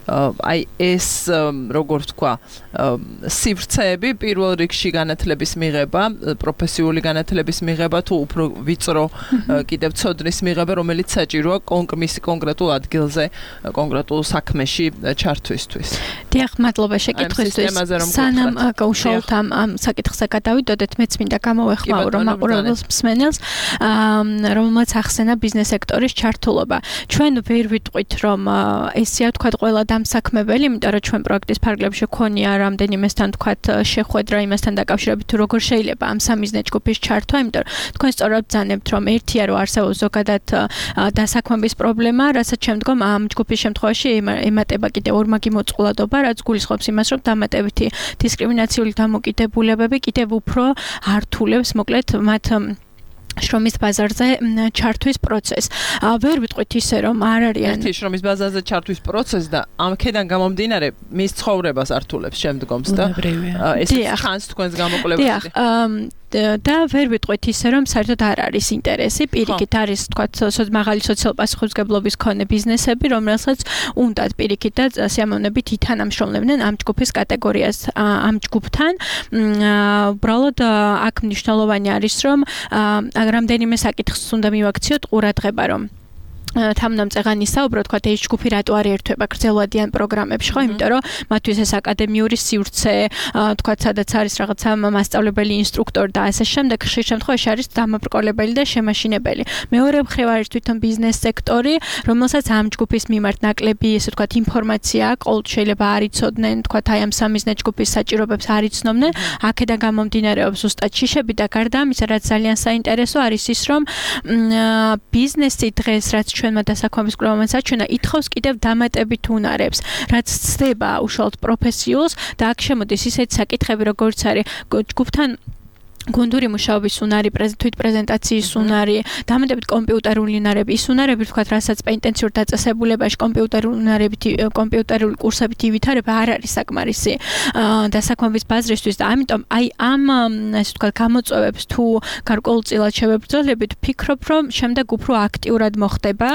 აი ეს როგორ ვთქვა სივრცეები პირველ რიგში განათლების მიღება, პროფესიული განათლების მიღება თუ უფრო ვიწრო კიდევ ცოდნის მიღება, რომელიც საჭიროა კონკრეტულ კონკრეტულ ადგილზე, კონკრეტულ საქმეში ჩართვისთვის. დიახ, მადლობა შეკითხვისთვის. სანამ გაუშალოთ ამ ამ საკითხზე გადავიდოდეთ, მეც მინდა გამოვეხმაურო რომ მაყურებელს მსმენელს, რომელმაც ახსენა ბიზნეს სექტორის ჩართულობა. ჩვენ ვერ ვიტყვით რომ ესეა თქვა ყველა დამსაქმებელი, იმიტომ რომ ჩვენ პროექტის ფარგლებში ქონია რამდენიმესთან თქვათ შეხვედრა იმასთან დაკავშირებით თუ როგორ შეიძლება ამ სამიზნე ჯგუფის ჩართვა, იმიტომ რომ თქვენ სწორად ბრძანებთ რომ ერთია რომ არსებობს ზოგადად დასაქმების პრობლემა, რასაც შემდგომ ამ ჯგუფის შემთხვევაში ემატება კიდევ ორმაგი მოწყვლადობა, რაც გულისხმობს იმას, რომ დამატებითი დისკრიმინაციული დამოკიდებულებები კიდევ უფრო ართულებს მოკლედ მათ შრომის ბაზარზე ჩართვის პროცესს. ვერ ვიტყვით ისე რომ არ არიან ერთი შრომის ბაზარზე ჩართვის პროცესს და ამქედან გამომდინარე მის ცხოვრებას ართულებს შემდგომს და ეს ხანს თქვენს გამოკვლევაში. დიახ, და ვერ ვიტყვით ისე რომ საერთოდ არ არის ინტერესი, პირიქით არის თქვათ მაღალი სოციალ პასუხისმგებლობის მქონე ბიზნესები, რომელსაც უნდათ პირიქით და სიამოვნებით ითანამშრომლებდნენ ამ ჯგუფის კატეგორიას ამ ჯგუფთან. უბრალოდ აქ მნიშვნელოვანი არის რომ რამდენიმე საკითხს უნდა მივაქციოთ ყურადღება, რომ თამნამწეღანი საუბრო თქვა ეს ჯგუფი რატო არ ერთვება გრძელვადიან პროგრამებში, ხო? იმიტომ რომ მათთვის ეს აკადემიური სივრცე, თქვა სადაც არის რაღაცა მასწავლებელი, ინსტრუქტორი და ასე შემდეგ, ხშირ შემთხვევაში არის დამაბრკოლებელი და შემაშინებელი. მეორე მხრივ არის თვითონ ბიზნეს სექტორი, რომელსაც ამ ჯგუფის მიმართ ნაკლები, ესე ვთქვათ, ინფორმაცია აქვთ, შეიძლება არ იცოდნენ, თქვა აი ამ სამიზნე ჯგუფის საჭიროებებს არ იცნობდნენ, აქედან გამომდინარეობს ზუსტად შიშები და გარდა ამისა, რაც ძალიან საინტერესო არის ის, რომ ბიზნესი დღეს რაც ჩვენმა დასაქმების კვლევამ საჩვენა ითხოვს კიდევ დამატებით უნარებს, რაც ცდება უშუალოდ პროფესიულს და აქ შემოდის ისეთი საკითხები, როგორც არის ჯგუფთან გუნდური მუშაობის უნარი, თვით პრეზენტაციის უნარი, დამატებით კომპიუტერული უნარები, ის უნარები, ვთქვათ, რასაც პენტენციურ დაწესებულებაში კომპიუტერული უნარებით, კომპიუტერული კურსებით ივითარება არ არის საკმარისი დასაქმების ბაზრისთვის და ამიტომ აი ამ ასე ვთქვათ გამოწვევებს თუ გარკვეულწილად შევებრძოლებით, ვფიქრობ, რომ შემდეგ უფრო აქტიურად მოხდება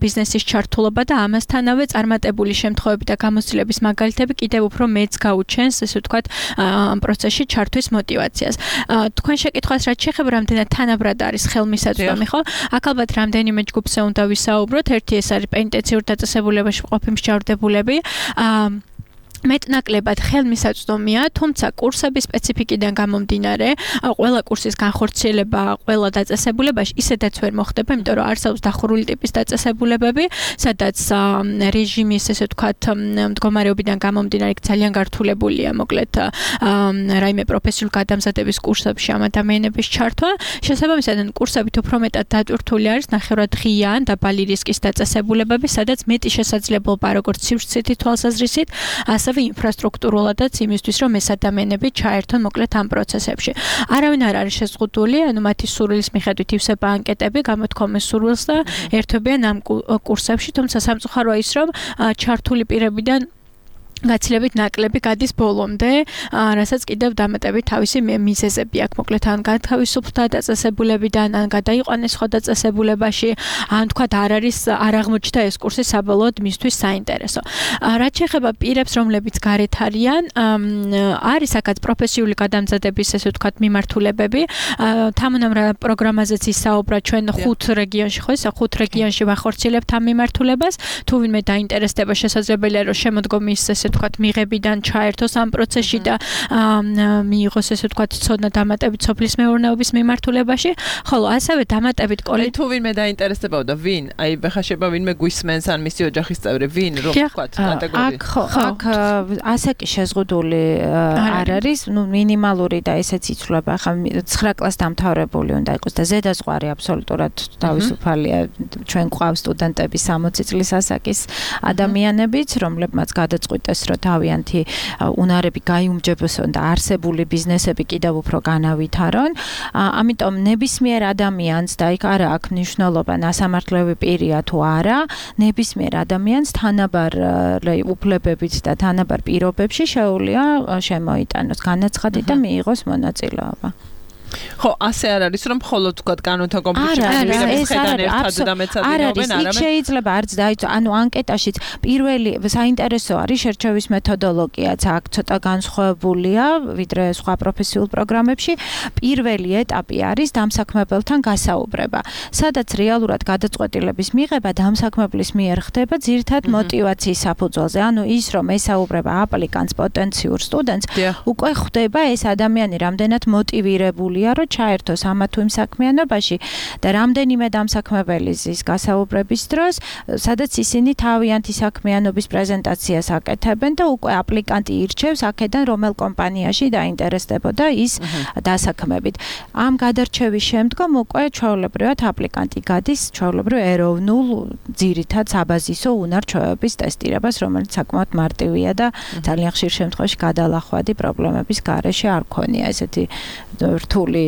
ბიზნესის ჩართულობა და ამასთანავე წარმატებული შემთხვევები და გამოცდილების მაგალითები კიდევ უფრო მეც გაუჩენს, ასე ვთქვათ, ამ პროცესში ჩართვის мотиваციას. თქვენ შეკითხვას რაც შეეხება რამდენად თანაბრად არის ხელმისაწვდომი, ხო? აქ ალბათ რამდენიმე ჯგუფზე უნდა ვისაუბროთ. ერთი ეს არის პენტენციურ დაწესებულებაში მყოფი მსჯავრდებულები. მეტნაკლებად ხელმისაწვდომია, თუმცა კურსების სპეციფიკიდან გამომდინარე, ყველა კურსის განხორციელება, ყველა დაწესებულებაში ისედაც ვერ მოხდება, იმიტომ რომ არსებობს დახურული ტიპის დაწესებულებები, სადაც რეჟიმის, ესე ვთქვათ, მდგომარეობიდან გამომდინარე ძალიან გართულებულია, მოკლედ რაიმე პროფესიულ გადამზადების კურსებში ამ ადამიანების ჩართვა. შესაბამისად, კურსებით უფრო მეტად დატვირთული არის ნახევრად ღია ან დაბალი რისკის დაწესებულებები, სადაც მეტი შესაძლებლობა როგორც სივრცითი თვალსაზრისით, ასევე ინფრასტრუქტურულადაც იმისთვის, რომ ეს ადამიანები ჩაერთონ მოკლედ ამ პროცესებში. არავინ არ არის შეზღუდული, ანუ მათი სურვილის მიხედვით ივსება ანკეტები, გამოთქვამენ სურვილს და ერთვებიან ამ კურსებში, თუმცა სამწუხაროა ის, რომ ჩართული პირებიდან გაცილებით ნაკლები გადის ბოლომდე, რასაც კიდევ დამატებით თავისი მიზეზები აქვს. მოკლედ ან გათავისუფლდა დაწესებულებიდან, ან გადაიყვანეს სხვა დაწესებულებაში, ან თქვათ არ არის არ აღმოჩნდა ეს კურსი საბოლოოდ მისთვის საინტერესო. რაც შეეხება პირებს, რომლებიც გარეთ არიან, არის აქაც პროფესიული გადამზადების, ესე ვთქვათ, მიმართულებები. თამონამ პროგრამაზეც ისაუბრა ჩვენ ხუთ რეგიონში, ხო, ესა ხუთ რეგიონში ვახორციელებთ ამ მიმართულებას. თუ ვინმე დაინტერესდება, შესაძლებელია რომ შემოდგომის ესე ვთქვათ, მიღებიდან ჩაერთოს ამ პროცესში და მიიღოს ესე ვთქვათ, ცოდნა დამატებით სოფლის მეურნეობის მიმართულებაში, ხოლო ასევე დამატებით კოლექტივი თუ ვინმე დაინტერესდებოდა და ვინ, აი ბეხა შეება ვინმე გვისმენს ან მისი ოჯახის წევრი, ვინ რომ ვთქვათ კატეგორია. აქ ხო, აქ ასე კი შეზღუდული არ არის, ნუ მინიმალური და ესეც იცვლება, ხა ცხრა კლასს დამთავრებული უნდა იყოს და ზედაზღვარი აბსოლუტურად თავისუფალია. ჩვენ გვყავს სტუდენტები სამოცი წლის ასაკის ადამიანებიც, რომლებმაც გადაწყვიტეს, რომ თავიანთი უნარები გაიუმჯობესონ და არსებული ბიზნესები კიდევ უფრო განავითარონ. ამიტომ ნებისმიერ ადამიანს და იქ არა აქვს მნიშვნელობა ნასამართლევი პირია თუ არა, ნებისმიერ ადამიანს თანაბარ უფლებებით და თანაბარ პირობებში შეუძლია შემოიტანოს განაცხადი და მიიღოს მონაწილეობა. ხო, ასე არ არის, რომ მხოლოდ თქვათ კანონთან კონფლიქტში ვიღებებს ხედან ერთად და მეცადინეობენ, არა. იქ შეიძლება არც დაიცვა, ანუ ანკეტაშიც პირველი საინტერესო არის შერჩევის მეთოდოლოგიაც, აქ ცოტა განსხვავებულია, ვიდრე სხვა პროფესიულ პროგრამებში. პირველი ეტაპი არის დამსაქმებელთან გასაუბრება, სადაც რეალურად გადაწყვეტილების მიღება დამსაქმებლის მიერ ხდება ძირითად მოტივაციის საფუძველზე. ანუ ის, რომ ესაუბრება აპლიკანტს, პოტენციურ სტუდენტს, უკვე ხვდება ეს ადამიანი რამდენად მოტივირებული რომ ჩაერთოს ამა თუ იმ საქმიანობაში და რამდენიმე დამსაქმებელი ზის გასაუბრების დროს, სადაც ისინი თავიანთი საქმიანობის პრეზენტაციას აკეთებენ და უკვე აპლიკანტი ირჩევს აქედან რომელ კომპანიაში დაინტერესდებოდა ის დასაქმებით. ამ გადარჩევის შემდგომ უკვე ჩვეულებრივად აპლიკანტი გადის ჩვეულებრივ ეროვნულ ძირითად საბაზისო უნარ-ჩვევების ტესტირებას, რომელიც საკმაოდ მარტივია და ძალიან ხშირ შემთხვევაში გადალახვადი პრობლემების გარეშე არ ქონია ესეთი რთული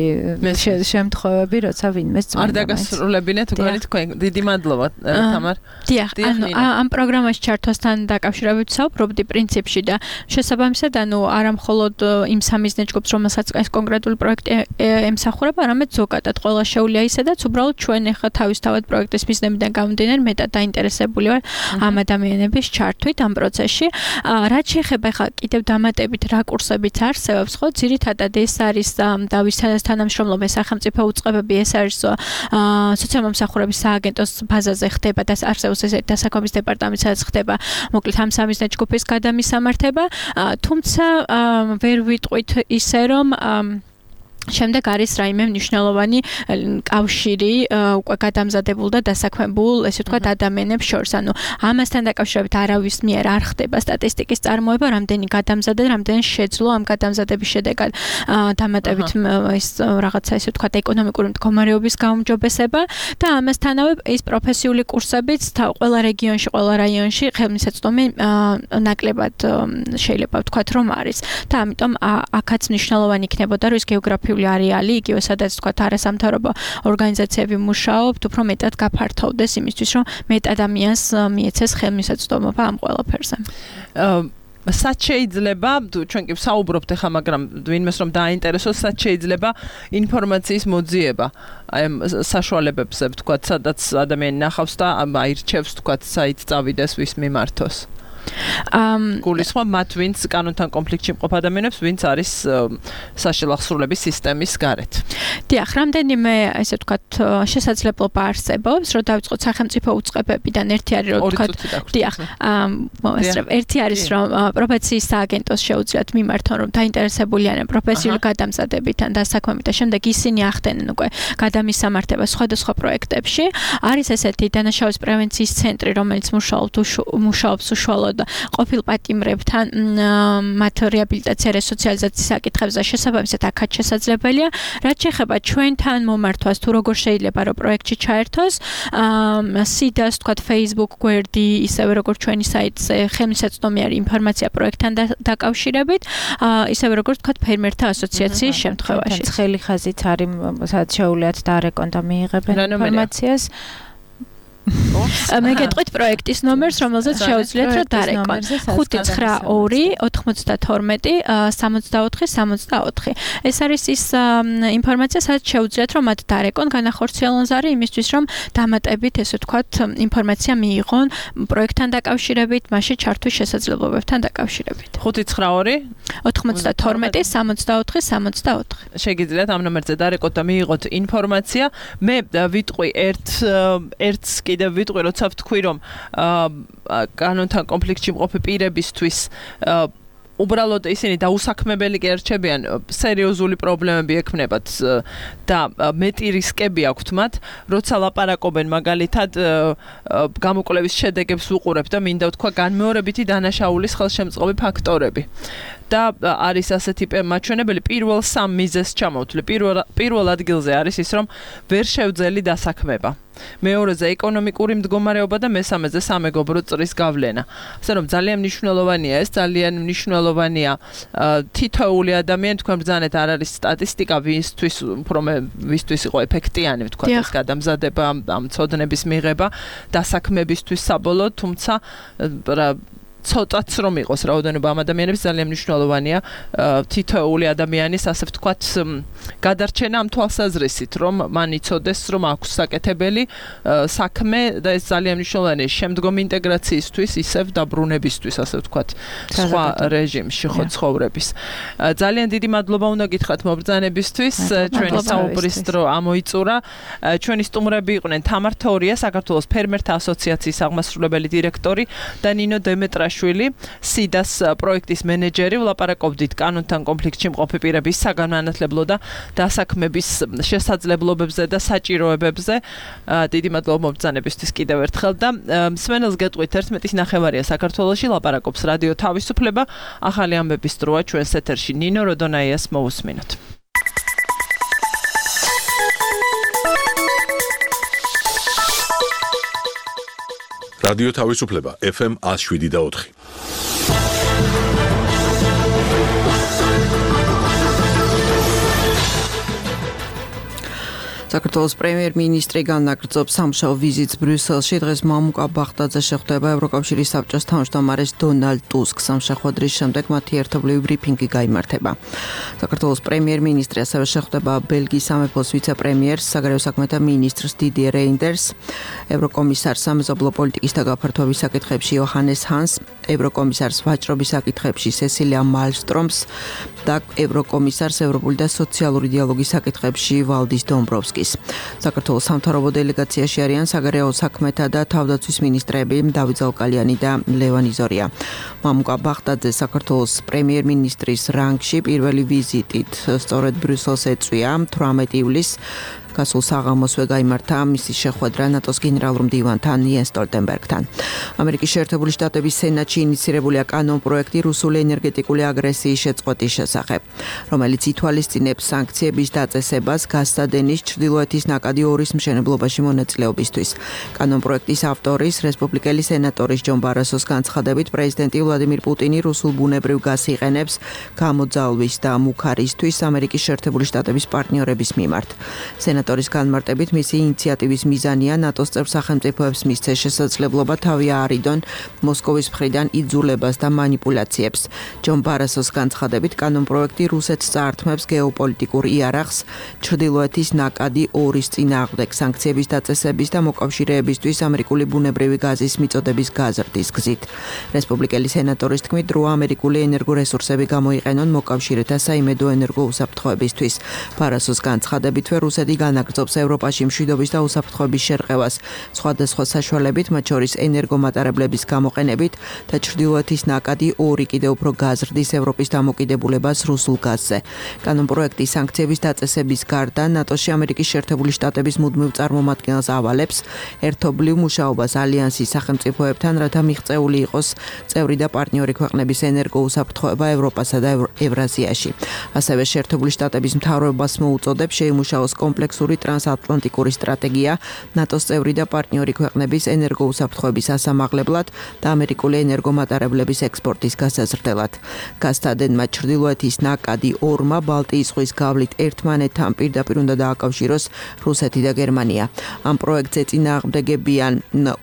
შემთხვევები, როცა ვინმეს წმინდა. არ დაგასრულებინეთ უგანი თქვენ. დიდი მადლობა, თამარ. დიახ, ანუ ამ პროგრამაში ჩართვასთან დაკავშირებით ვსაუბრობდი პრინციპში და შესაბამისად, ანუ არა მხოლოდ იმ სამიზნე ჯგუფს, რომელსაც ეს კონკრეტული პროექტი ემსახურება, არამედ ზოგადად ყველა შეუძლია ისედაც უბრალოდ ჩვენ ახლა თავისთავად პროექტის მიზნებიდან გამომდინარე მეტად დაინტერესებული ვარ ამ ადამიანების ჩართვით ამ პროცესში. რაც შეეხება ახლა კიდევ დამატებით რა კურსებიც არსებობს, ხო, ძირითადად ეს არის დავის თანამშრომლობა სახელმწიფო უწყებები, ეს არის სოციალურ-მომსახურების სააგენტოს ბაზაზე ხდება და არსებობს ეს დასაქმების დეპარტამენტი, სადაც ხდება მოკლედ ამ სამიზნე ჯგუფის გადამისამართება, თუმცა ვერ ვიტყვით ისე რომ შემდეგ არის რაიმე მნიშვნელოვანი კავშირი უკვე გადამზადებულ და დასაქმებულ, ესე ვთქვათ, ადამიანებს შორის. ანუ ამასთან დაკავშირებით არავის მიერ არ ხდება სტატისტიკის წარმოება, რამდენი გადამზადდა, რამდენი შეძლო ამ გადამზადების შედეგად დამატებით ის რაღაცა, ესე ვთქვათ, ეკონომიკური მდგომარეობის გაუმჯობესება და ამასთანავე ის პროფესიული კურსებიც ყველა რეგიონში, ყველა რაიონში ხელმისაწვდომი ნაკლებად შეიძლება ვთქვათ, რომ არის. და ამიტომ აქაც მნიშვნელოვანი იქნებოდა, რომ ის გეოგრაფიული არეალი, იგივე სადაც თქვა არასამთავრობო ორგანიზაციები მუშაობთ, უფრო მეტად გაფართოვდეს იმისთვის, რომ მეტ ადამიანს მიეცეს ხელმისაწვდომობა ამ ყველაფერზე. სად შეიძლება, ჩვენ კი ვსაუბრობთ ახლა, მაგრამ ვინმეს რომ დააინტერესოს, სად შეიძლება ინფორმაციის მოძიება აი საშუალებებზე, ვთქვათ, სადაც ადამიანი ნახავს და აირჩევს, ვთქვათ, საით წავიდეს, ვის მიმართოს. გულისხმობ მათ, ვინც კანონთან კონფლიქტში მყოფ ადამიანებს, ვინც არის საშილახსრულების სისტემის გარეთ. დიახ, რამდენიმე, ესე ვთქვათ, შესაძლებლობა არსებობს, რომ დავიწყოთ სახელმწიფო უწყებებიდან. ერთი არის, რომ ვთქვათ, დიახ, მოესწრებ. ერთი არის, რომ პროფესიის სააგენტოს შეუძლიათ მიმართონ, რომ დაინტერესებული არიან პროფესიული გადამზადებით ან დასაქმებით და შემდეგ ისინი ახდენენ უკვე გადამისამართებას სხვადასხვა პროექტებში. არის ესეთი დანაშაულის პრევენციის ცენტრი, რომელიც მუშაობს უშუალოდ ყოფილ პატიმრებთან მათ რეაბილიტაცია რესოციალიზაციის საკითხებზე შესაბამისად აქაც შესაძლებელია. რაც შეეხება ჩვენთან მომართვას, თუ როგორ შეიძლება რომ პროექტში ჩაერთოს, სიდას, თქვათ, Facebook გვერდი, ისევე როგორც ჩვენი საიტზე ხელმისაწვდომი არის ინფორმაცია პროექტთან დაკავშირებით, ისევე როგორც თქვათ, ფერმერთა ასოციაციის შემთხვევაში. ცხელი ხაზით არის, სადაც შეუძლიათ დარეკონ და მიიღებენ ინფორმაციას. მე გეტყვით პროექტის ნომერს, რომელზეც შეუძლიათ რომ დარეკონ. ხუთი ცხრა ორი ოთხმოცდათორმეტი სამოცდაოთხი სამოცდაოთხი. ეს არის ის ინფორმაცია, სადაც შეუძლიათ რომ მათ დარეკონ, განახორციელონ ზარი იმისთვის, რომ დამატებით, ესე ვთქვათ, ინფორმაცია მიიღონ პროექტთან დაკავშირებით, მასში ჩართვის შესაძლებლობებთან დაკავშირებით. ხუთი ცხრა ორი ოთხმოცდათორმეტი სამოცდაოთხი სამოცდაოთხი. შეგიძლიათ ამ ნომერზე დარეკოთ და მიიღოთ ინფორმაცია. მე ვიტყვი ერთ ერთს კიდევ ვიტყვი, როცა ვთქვი, რომ კანონთან კონფლიქტში მყოფი პირებისთვის უბრალოდ ისინი დაუსაქმებელი კი არ რჩებიან, სერიოზული პრობლემები ექმნებათ და მეტი რისკები აქვთ მათ, როცა ლაპარაკობენ მაგალითად გამოკვლევის შედეგებს ვუყურებ და მინდა ვთქვა განმეორებითი დანაშაულის ხელშემწყობი ფაქტორები. და არის ასეთი მაჩვენებელი პირველ სამ მიზეზს ჩამოვთვლი. პირველ პირველ ადგილზე არის ის, რომ ვერ შევძელი დასაქმება. მეორეზე ეკონომიკური მდგომარეობა და მესამეზე სამეგობრო წრის გავლენა. ასე რომ ძალიან მნიშვნელოვანია ეს, ძალიან მნიშვნელოვანია თითოეული ადამიანი, თქვენ ბრძანეთ, არ არის სტატისტიკა, ვისთვის უფრო ვისთვის იყო ეფექტიანი, ვთქვა ეს გადამზადება, ამ ცოდნების მიღება დასაქმებისთვის საბოლოოდ, თუმცა ცოტაც რომ იყოს რაოდენობა ამ ადამიანების ძალიან მნიშვნელოვანია თითოეული ადამიანის ასე ვთქვათ გადარჩენა ამ თვალსაზრისით რომ მან იცოდეს რომ აქვს საკეთებელი საქმე და ეს ძალიან მნიშვნელოვანია შემდგომი ინტეგრაციისთვის ისევ დაბრუნებისთვის ასე ვთქვათ სხვა რეჟიმში ხო ცხოვრების ძალიან დიდი მადლობა უნდა გითხრათ მობრძანებისთვის ჩვენი საუბრის დრო ამოიწურა ჩვენი სტუმრები იყვნენ თამარ თორია საქართველოს ფერმერთა ასოციაციის აღმასრულებელი დირექტორი და ნინო დემეტრა შვილი სიდას პროექტის მენეჯერი ვლაპარაკობდით კანონთან კონფლიქტში მყოფი პირების საგანმანათლებლო და დასაქმების შესაძლებლობებზე და საჭიროებებზე დიდი მადლობა მობრძანებისთვის კიდევ ერთხელ და მსმენელს გეტყვით ერთმეტის ნახევარია საქართველოში ლაპარაკობს რადიო თავისუფლება ახალი ამბების დროა ჩვენს ეთერში ნინო როდონაიას მოусმინოთ რადიო თავისუფლება ეფ ემ one oh seven და four საქართველოს პრემიერ-მინისტრი განაგრძობს სამშაბათ ვიზიტს ბრიუსელში. დღეს მამუკა ბაღდაძე შეხვდება ევროკავშირის საბჭოს თავმჯდომარეს დონალდ ტუსკს. სამშაბათ დრის შემდეგ მათი ერთობლივი ბრიფინგი გაიმართება. საქართველოს პრემიერ-მინისტრი ასევე შეხვდება ბელგიის სამეფოს ვიცე-პრემიერს, საგარეო საქმეთა მინისტრს დიდიე რეინდერს, ევროკომისარს სამეზობლო პოლიტიკის და გაფართოების საკითხებში იოჰანეს ჰანს, ევროკომისარს ვაჭრობის საკითხებში სესილია მალმსტრომს და ევროკომისარს ევროპული და სოციალური დიალოგის საკითხებში ვალდის დომბროვსკი. საქართველოს სამთავრობო დელეგაციაში არიან საგარეო საქმეთა და თავდაცვის მინისტრები დავით ზაუკალიანი და ლევან იზორია. მამუკა ბაღდაძე საქართველოს პრემიერ-მინისტრის რანგში პირველი ვიზიტით სწორედ ბრიუსელს ეწვია თვრამეტი ივლისს გასულ საღამოსვე გაიმართა მისი შეხვედრა ნატოს გენერალურ მდივანთან იენს სტოლტენბერგთან. ამერიკის შეერთებული შტატების სენატში ინიცირებულია კანონპროექტი რუსული ენერგეტიკული აგრესიის შეწყვეტის შესახებ, რომელიც ითვალისწინებს სანქციების დაწესებას გაზსადენის ჩრდილოეთის ნაკადი ორის მშენებლობაში მონაწილეობისთვის. კანონპროექტის ავტორის რესპუბლიკელი სენატორის ჯონ ბარასოს განცხადებით პრეზიდენტი ვლადიმირ პუტინი რუსულ ბუნებრივ გაზს იყენებს გამოძალვის და მუქარისთვის ამერიკის შეერთებული შტატების პარტნიორების მიმართ. სენატორის განმარტებით მისი ინიციატივის მიზანია ნატოს წევრ სახელმწიფოებს მისცეს შესაძლებლობა თავი აარიდონ მოსკოვის მხრიდან იძულებას და მანიპულაციებს. ჯონ ბარასოს განცხადებით კანონპროექტი რუსეთს წაართმევს გეოპოლიტიკურ იარაღს ჩრდილოეთის ნაკადი ორის წინააღმდეგ სანქციების დაწესების და მოკავშირეებისთვის ამერიკული ბუნებრივი გაზის მიწოდების გაზრდის გზით. რესპუბლიკელი სენატორის თქმით დრო ამერიკული ენერგორესურსები გამოიყენონ მოკავშირეთა საიმედო ენერგო უსაფრთხოებისთვის. ბარასოს განცხადებითვე რუსეთი განაგრძობს ევროპაში მშვიდობის და უსაფრთხოების შერყევას სხვადასხვა საშუალებით, მათ შორის ენერგომატარებლების გამოყენებით და ჩრდილოეთის ნაკადი ორი კიდევ უფრო გაზრდის ევროპის დამოკიდებულებას რუსულ გაზზე. კანონპროექტის სანქციების დაწესების გარდა ნატოში ამერიკის შეერთებული შტატების მუდმივ წარმომადგენელს ავალებს ერთობლივ მუშაობას ალიანსის სახელმწიფოებთან, რათა მიღწეული იყოს წევრი და პარტნიორი ქვეყნების ენერგოუსაფრთხოება ევროპასა და ევრაზიაში. ასევე შეერთებული შტატების მთავრობას მოუწოდებს შეიმუშაოს კომპლექსური ტრანსატლანტიკური სტრატეგია ნატოს წევრი და პარტნიორი ქვეყნების ენერგოუსაფრთხოების ასამაღლებლად და ამერიკული ენერგომატარებლების ექსპორტის გასაზრდელად. გაზსადენმა ჩრდილოეთის ნაკადი ორმა ბალტიის ზღვის გავლით ერთმანეთთან პირდაპირ უნდა დააკავშიროს რუსეთი და გერმანია. ამ პროექტზე წინააღმდეგებიან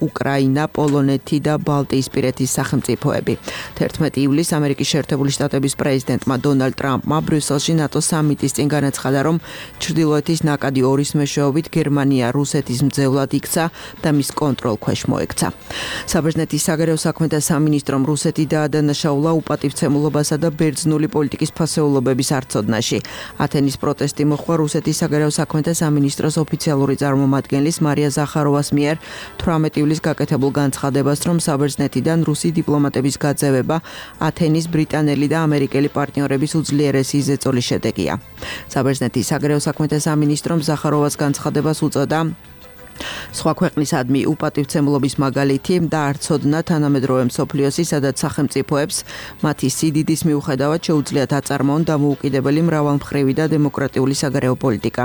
უკრაინა, პოლონეთი და ბალტიისპირეთის სახელმწიფოები. თერთმეტი ივლისს ამერიკის შეერთებული შტატების პრეზიდენტმა დონალდ ტრამპმა ბრიუსელში ნატოს სამიტის წინ განაცხადა, რომ ჩრდილოეთის ნაკადი ორის მეშვეობით გერმანია რუსეთის მძევლად იქცა და მის კონტროლ ქვეშ მოექცა. საბერძნეთის საგარეო საქმეთა სამინისტრომ რუსეთი დაადანაშაულა უპატივცემულობასა და ბერძნული პოლიტიკის ფასეულობების არცოდნაში. ათენის პროტესტი მოხდა რუსეთის საგარეო საქმეთა სამინისტროს ოფიციალური წარმომადგენლის მარია ზახაროვას მიერ თვრამეტი ივლისს გაკეთებულ განცხადებას, რომ საბერძნეთიდან რუსი დიპლომატების გაძევება ათენის ბრიტანელი და ამერიკელი პარტნიორების უძლიერესი ზეწოლის შედეგია. საბერძნეთის საგარეო საქმეთა სამინისტრომ ზახაროვას განცხადებას უწოდა სხვა ქვეყნისადმი უპატივცემულობის მაგალითი და არცოდნა თანამედროვე მსოფლიოსი, სადაც სახელმწიფოებს მათი სიდიდის მიუხედავად შეუძლიათ აწარმოონ დამოუკიდებელი მრავალმხრივი და დემოკრატიული საგარეო პოლიტიკა.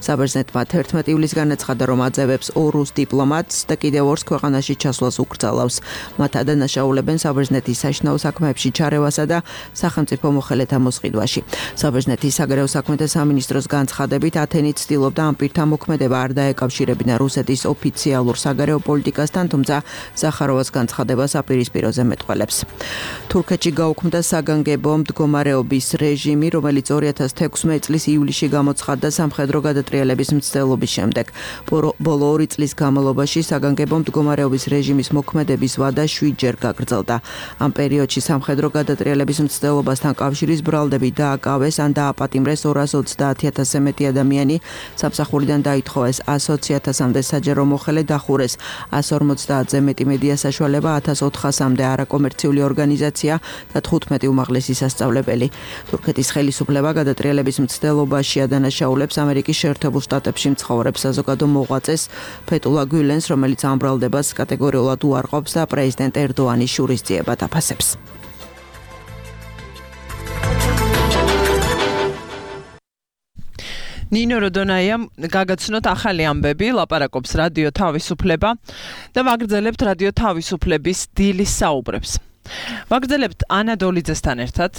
საბერძნეთმა თერთმეტი ივლისს განაცხადა, რომ აძევებს ორ რუს დიპლომატს და კიდევ ორს ქვეყანაში ჩასვლას უკრძალავს. მათ ადანაშაულებენ საბერძნეთის საშინაო საქმეებში ჩარევასა და სახელმწიფო მოხელეთა მოსყიდვაში. საბერძნეთის საგარეო საქმეთა სამინისტროს განცხადებით ათენი ცდილობდა ამ პირთა მოქმედება არ დაეკავშირებინა რუსეთის ოფიციალურ საგარეო პოლიტიკასთან, თუმცა ზახაროვას განცხადებას აპირისპიროზე მეტყველებს. თურქეთში გაუქმდა საგანგებო მდგომარეობის რეჟიმი, რომელიც ორი ათას თექვსმეტი წლის ივლისში გამოცხადდა სამხედრო გადატრიალების მცდელობის შემდეგ. ბოლო ორი წლის განმავლობაში საგანგებო მდგომარეობის რეჟიმის მოქმედების ვადა შვიდჯერ გაგრძელდა. ამ პერიოდში სამხედრო გადატრიალების მცდელობასთან კავშირის ბრალდები დააკავეს ან დააპატიმრეს ორას ოცდაათი ათასზე მეტი ადამიანი, სამსახურიდან დაითხოვეს ასოცი ათასამდე საჯარო მოხელე, დახურეს ასს ორმოცდაათზე მეტი მედია საშუალება, ათას ოთხასამდე არაკომერციული ორგანიზაცია და თხუთმეტი უმაღლესი სასწავლებელი. თურქეთის ხელისუფლება გადატრიალების მცდელობაში ადანაშაულებს ამერიკის შეერთებულ შტატებში მცხოვრებ საზოგადო მოღვაწეს ფეტულა გულენს, რომელიც ამ ბრალდებას კატეგორიულად უარყოფს და პრეზიდენტ ერდოანის შურისძიებად აფასებს. ნინო როდონაიამ გაგაცნოთ ახალი ამბები, ლაპარაკობს რადიო თავისუფლება და ვაგრძელებთ რადიო თავისუფლების დილის საუბრებს. ვაგრძელებთ ანა დოლიძესთან ერთად,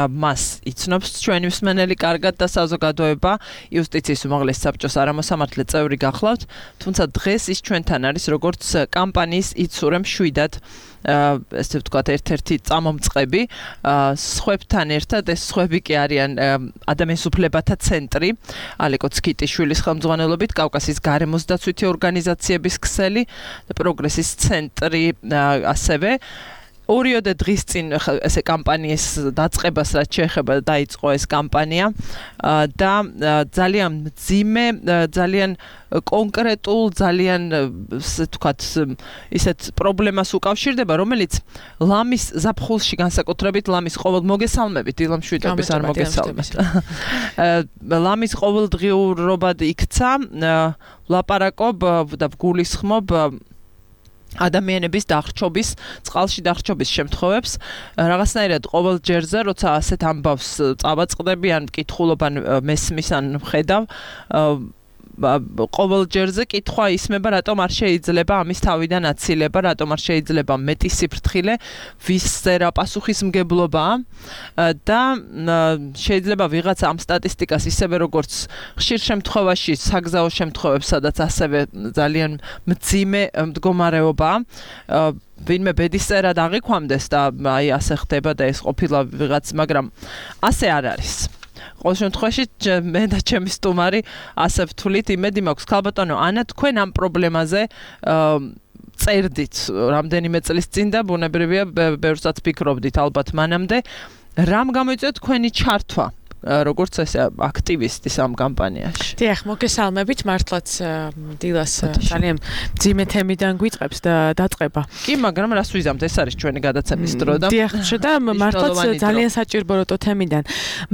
მას იცნობს ჩვენი მსმენელი კარგად და საზოგადოება იუსტიციის უმაღლესი საბჭოს არამოსამართლე წევრი გახლავთ, თუმცა დღეს ის ჩვენთან არის როგორც კამპანიის იცურე მშვიდად ესე ვთქვათ ერთ-ერთი წამომწყები სხვებთან ერთად. ეს სხვები კი არიან ადამიანის უფლებათა ცენტრი ალეკო ცკიტიშვილის ხელმძღვანელობით, კავკასიის გარემოსდაცვითი ორგანიზაციების ქსელი და პროგრესის ცენტრი ასევე. ორიოდე დღის წინ ესე კამპანიის დაწყებას რაც შეეხება დაიწყო ეს კამპანია და ძალიან მძიმე, ძალიან კონკრეტულ, ძალიან ესე ვთქვათ ისეთ პრობლემას უკავშირდება, რომელიც ლამის ზაფხულში განსაკუთრებით ლამის ყოველ მოგესალმებით, დილამ შვიდობის არ მოგესალმებით. ლამის ყოველდღიურობად იქცა, ლაპარაკობ და გულისხმობ ადამიანების დახრჩობის, წყალში დახრჩობის შემთხვევებს. რაღაცნაირად ყოველ ჯერზე, როცა ასეთ ამბავს წავაწყდები ან მკითხულობ ან მესმის ან ხედავ, ყოველ ჯერზე კითხვა ისმება, რატომ არ შეიძლება ამის თავიდან აცილება, რატომ არ შეიძლება მეტი სიფრთხილე, ვისზე რა პასუხისმგებლობაა და შეიძლება ვიღაც ამ სტატისტიკას ისევე როგორც ხშირ შემთხვევაში საგზაო შემთხვევებს, სადაც ასევე ძალიან მძიმე მდგომარეობაა, ვინმე ბედისწერად აღიქვამდეს და აი ასე ხდება და ეს ყოფილა ვიღაც, მაგრამ ასე არ არის. ყოველ შემთხვევაში მე და ჩემი სტუმარი ასე ვთვლით, იმედი მაქვს. ქალბატონო ანა, თქვენ ამ პრობლემაზე წერდით რამდენიმე წლის წინ და ბუნებრივია ბევრსაც ფიქრობდით ალბათ მანამდე. რამ გამოიწვია თქვენი ჩართვა როგორც ესე აქტივისტის ამ კამპანიაში? დიახ, მოგესალმებით, მართლაც დილას ძალიან მძიმე თემიდან გვიწყებს და დაწყება. კი, მაგრამ რას ვიზამთ, ეს არის ჩვენი გადაცემის დრო და დიახ, და მართლაც ძალიან საჭიროებო თემიდან.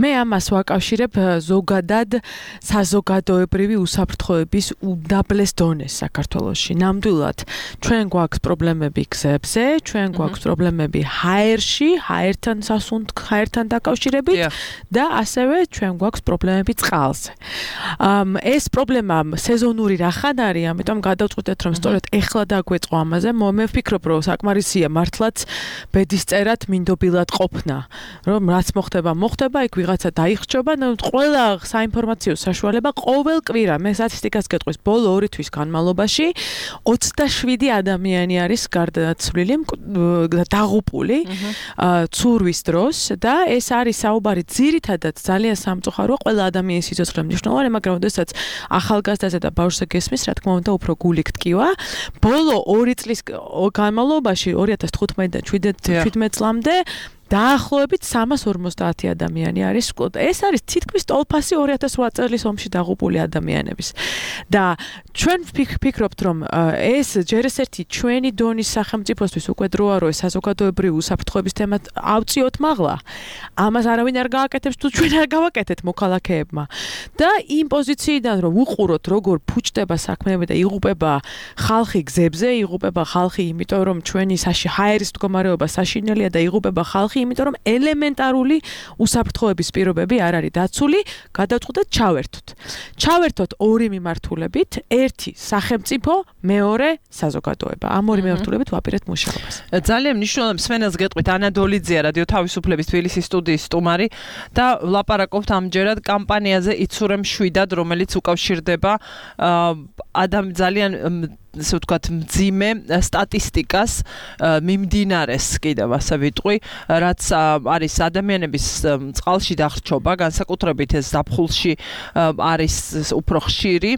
მე ამას ვაკავშირებ ზოგადად საზოგადოებრივი უსაფრთხოების უდაბლეს დონეს საქართველოში. ნამდვილად ჩვენ გვაქვს პრობლემები გზებზე, ჩვენ გვაქვს პრობლემები ჰაერში, ჰაერთან სასუნთ, ჰაერთან დაკავშირებით და ასევე ჩვენ გვაქვს პრობლემები წყალზე. ეს პრობლემა სეზონური რახან არის, ამიტომ გადავწყვიტეთ, რომ სწორედ ეხლა დაგვეწყო ამაზე. მე ვფიქრობ, რომ საკმარისია მართლაც ბედისწერად მინდობილად ყოფნა, რომ რაც მოხდება, მოხდება, იქ ვიღაცა დაიხრჩობა, ყველა საინფორმაციო საშუალება ყოველ კვირა, მე სტატისტიკას გეტყვის, ბოლო ორი თვის განმავლობაში ოცდაშვიდი ადამიანი არის გარდაცვლილი, დაღუპული ცურვის დროს და ეს არის საუბარი ძირითადად ძალიან სამწუხაროა, ყველა ადამიანის სიცოცხლე მნიშვნელოვანია, მაგრამ ოდესაც ახალგაზრდაზე და ბავშვზე გესმის, რა თქმა უნდა, უფრო გული გტკივა. ბოლო ორი წლის განმავლობაში ორი ათას თხუთმეტიდან შვიდმეტ წლამდე დაახლოებით სამას ორმოცდაათი ადამიანი არის. ეს არის თითქმის ტოლფასი ორი ათას რვა წლის ომში დაღუპული ადამიანების. და ჩვენ ვფიქრობთ, რომ ეს ჯერ ეს ერთი ჩვენი დონის სახელმწიფოსთვის უკვე დროა, რომ საზოგადოებრივი უსაფრთხოების თემა ავწიოთ მაღლა. ამას არავინ არ გააკეთებს, თუ ჩვენ არ გავაკეთეთ მოქალაქეებმა. და იმ პოზიციიდან რომ უყუროთ, როგორ ფუჭდება საქმეები და იღუპება ხალხი გზებზე, იღუპება ხალხი, იმიტომ რომ ჩვენი ჰაერის მდგომარეობა საშინელია და იღუპება ხალხი იმიტომ რომ ელემენტარული უსაფრთხოების პირობები არ არის დაცული, გადავწყვეტეთ ჩავერთოთ. ჩავერთოთ ორი მიმართულებით, ერთი სახელმწიფო, მეორე საზოგადოება. ამ ორი მიმართულებით ვაპირებთ მუშაობას. ძალიან მნიშვნელოვანი მსმენელს გეტყვით ანა დოლიძეა რადიო თავისუფლების თბილისის სტუდიის სტუმარი და ვლაპარაკობთ ამჯერად კამპანიაზე იცურემ შვიდად, რომელიც უკავშირდება ადამ ძალიან ესე ვთქვათ მძიმე სტატისტიკას მიმდინარეს კიდევ ასე ვიტყვი, რაც არის ადამიანების წყალში დახრჩობა, განსაკუთრებით ეს ზაფხულში არის უფრო ხშირი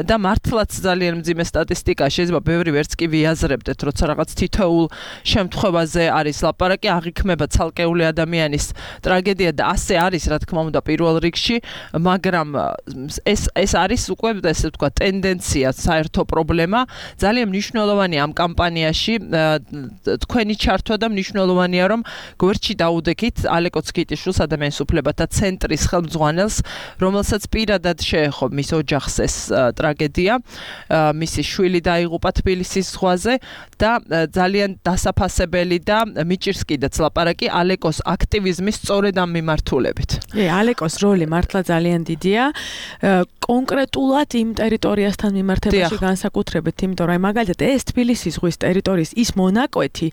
და მართლაც ძალიან მძიმე სტატისტიკა, შეიძლება ბევრი ვერც კი ვიაზრებდეთ, როცა რაღაც თითოეულ შემთხვევაზე არის ლაპარაკი, აღიქმება ცალკეული ადამიანის ტრაგედია და ასე არის, რა თქმა უნდა, პირველ რიგში, მაგრამ ეს ეს არის უკვე ესე ვთქვათ ტენდენცია, საერთო პრობლემა. ძალიან მნიშვნელოვანია ამ კამპანიაში თქვენი ჩართვა და მნიშვნელოვანია რომ გვერდში დაუდექით ალეკო ცკიტიშვილს ადამიანის უფლებათა ცენტრის ხელმძღვანელს, რომელსაც პირადად შეეხო მის ოჯახს ეს ტრაგედია, მისი შვილი დაიღუპა თბილისის ზღვაზე და ძალიან დასაფასებელი და მიჭირს კიდეც ლაპარაკი ალეკოს აქტივიზმის სწორედ ამ მიმართულებით. ე ალეკოს როლი მართლა ძალიან დიდია. კონკრეტულად იმ ტერიტორიასთან მიმართებაში განსაკუთრებით, იმიტომ რომ მაგალითად ეს თბილისის ზღვის ტერიტორიის ის მონაკვეთი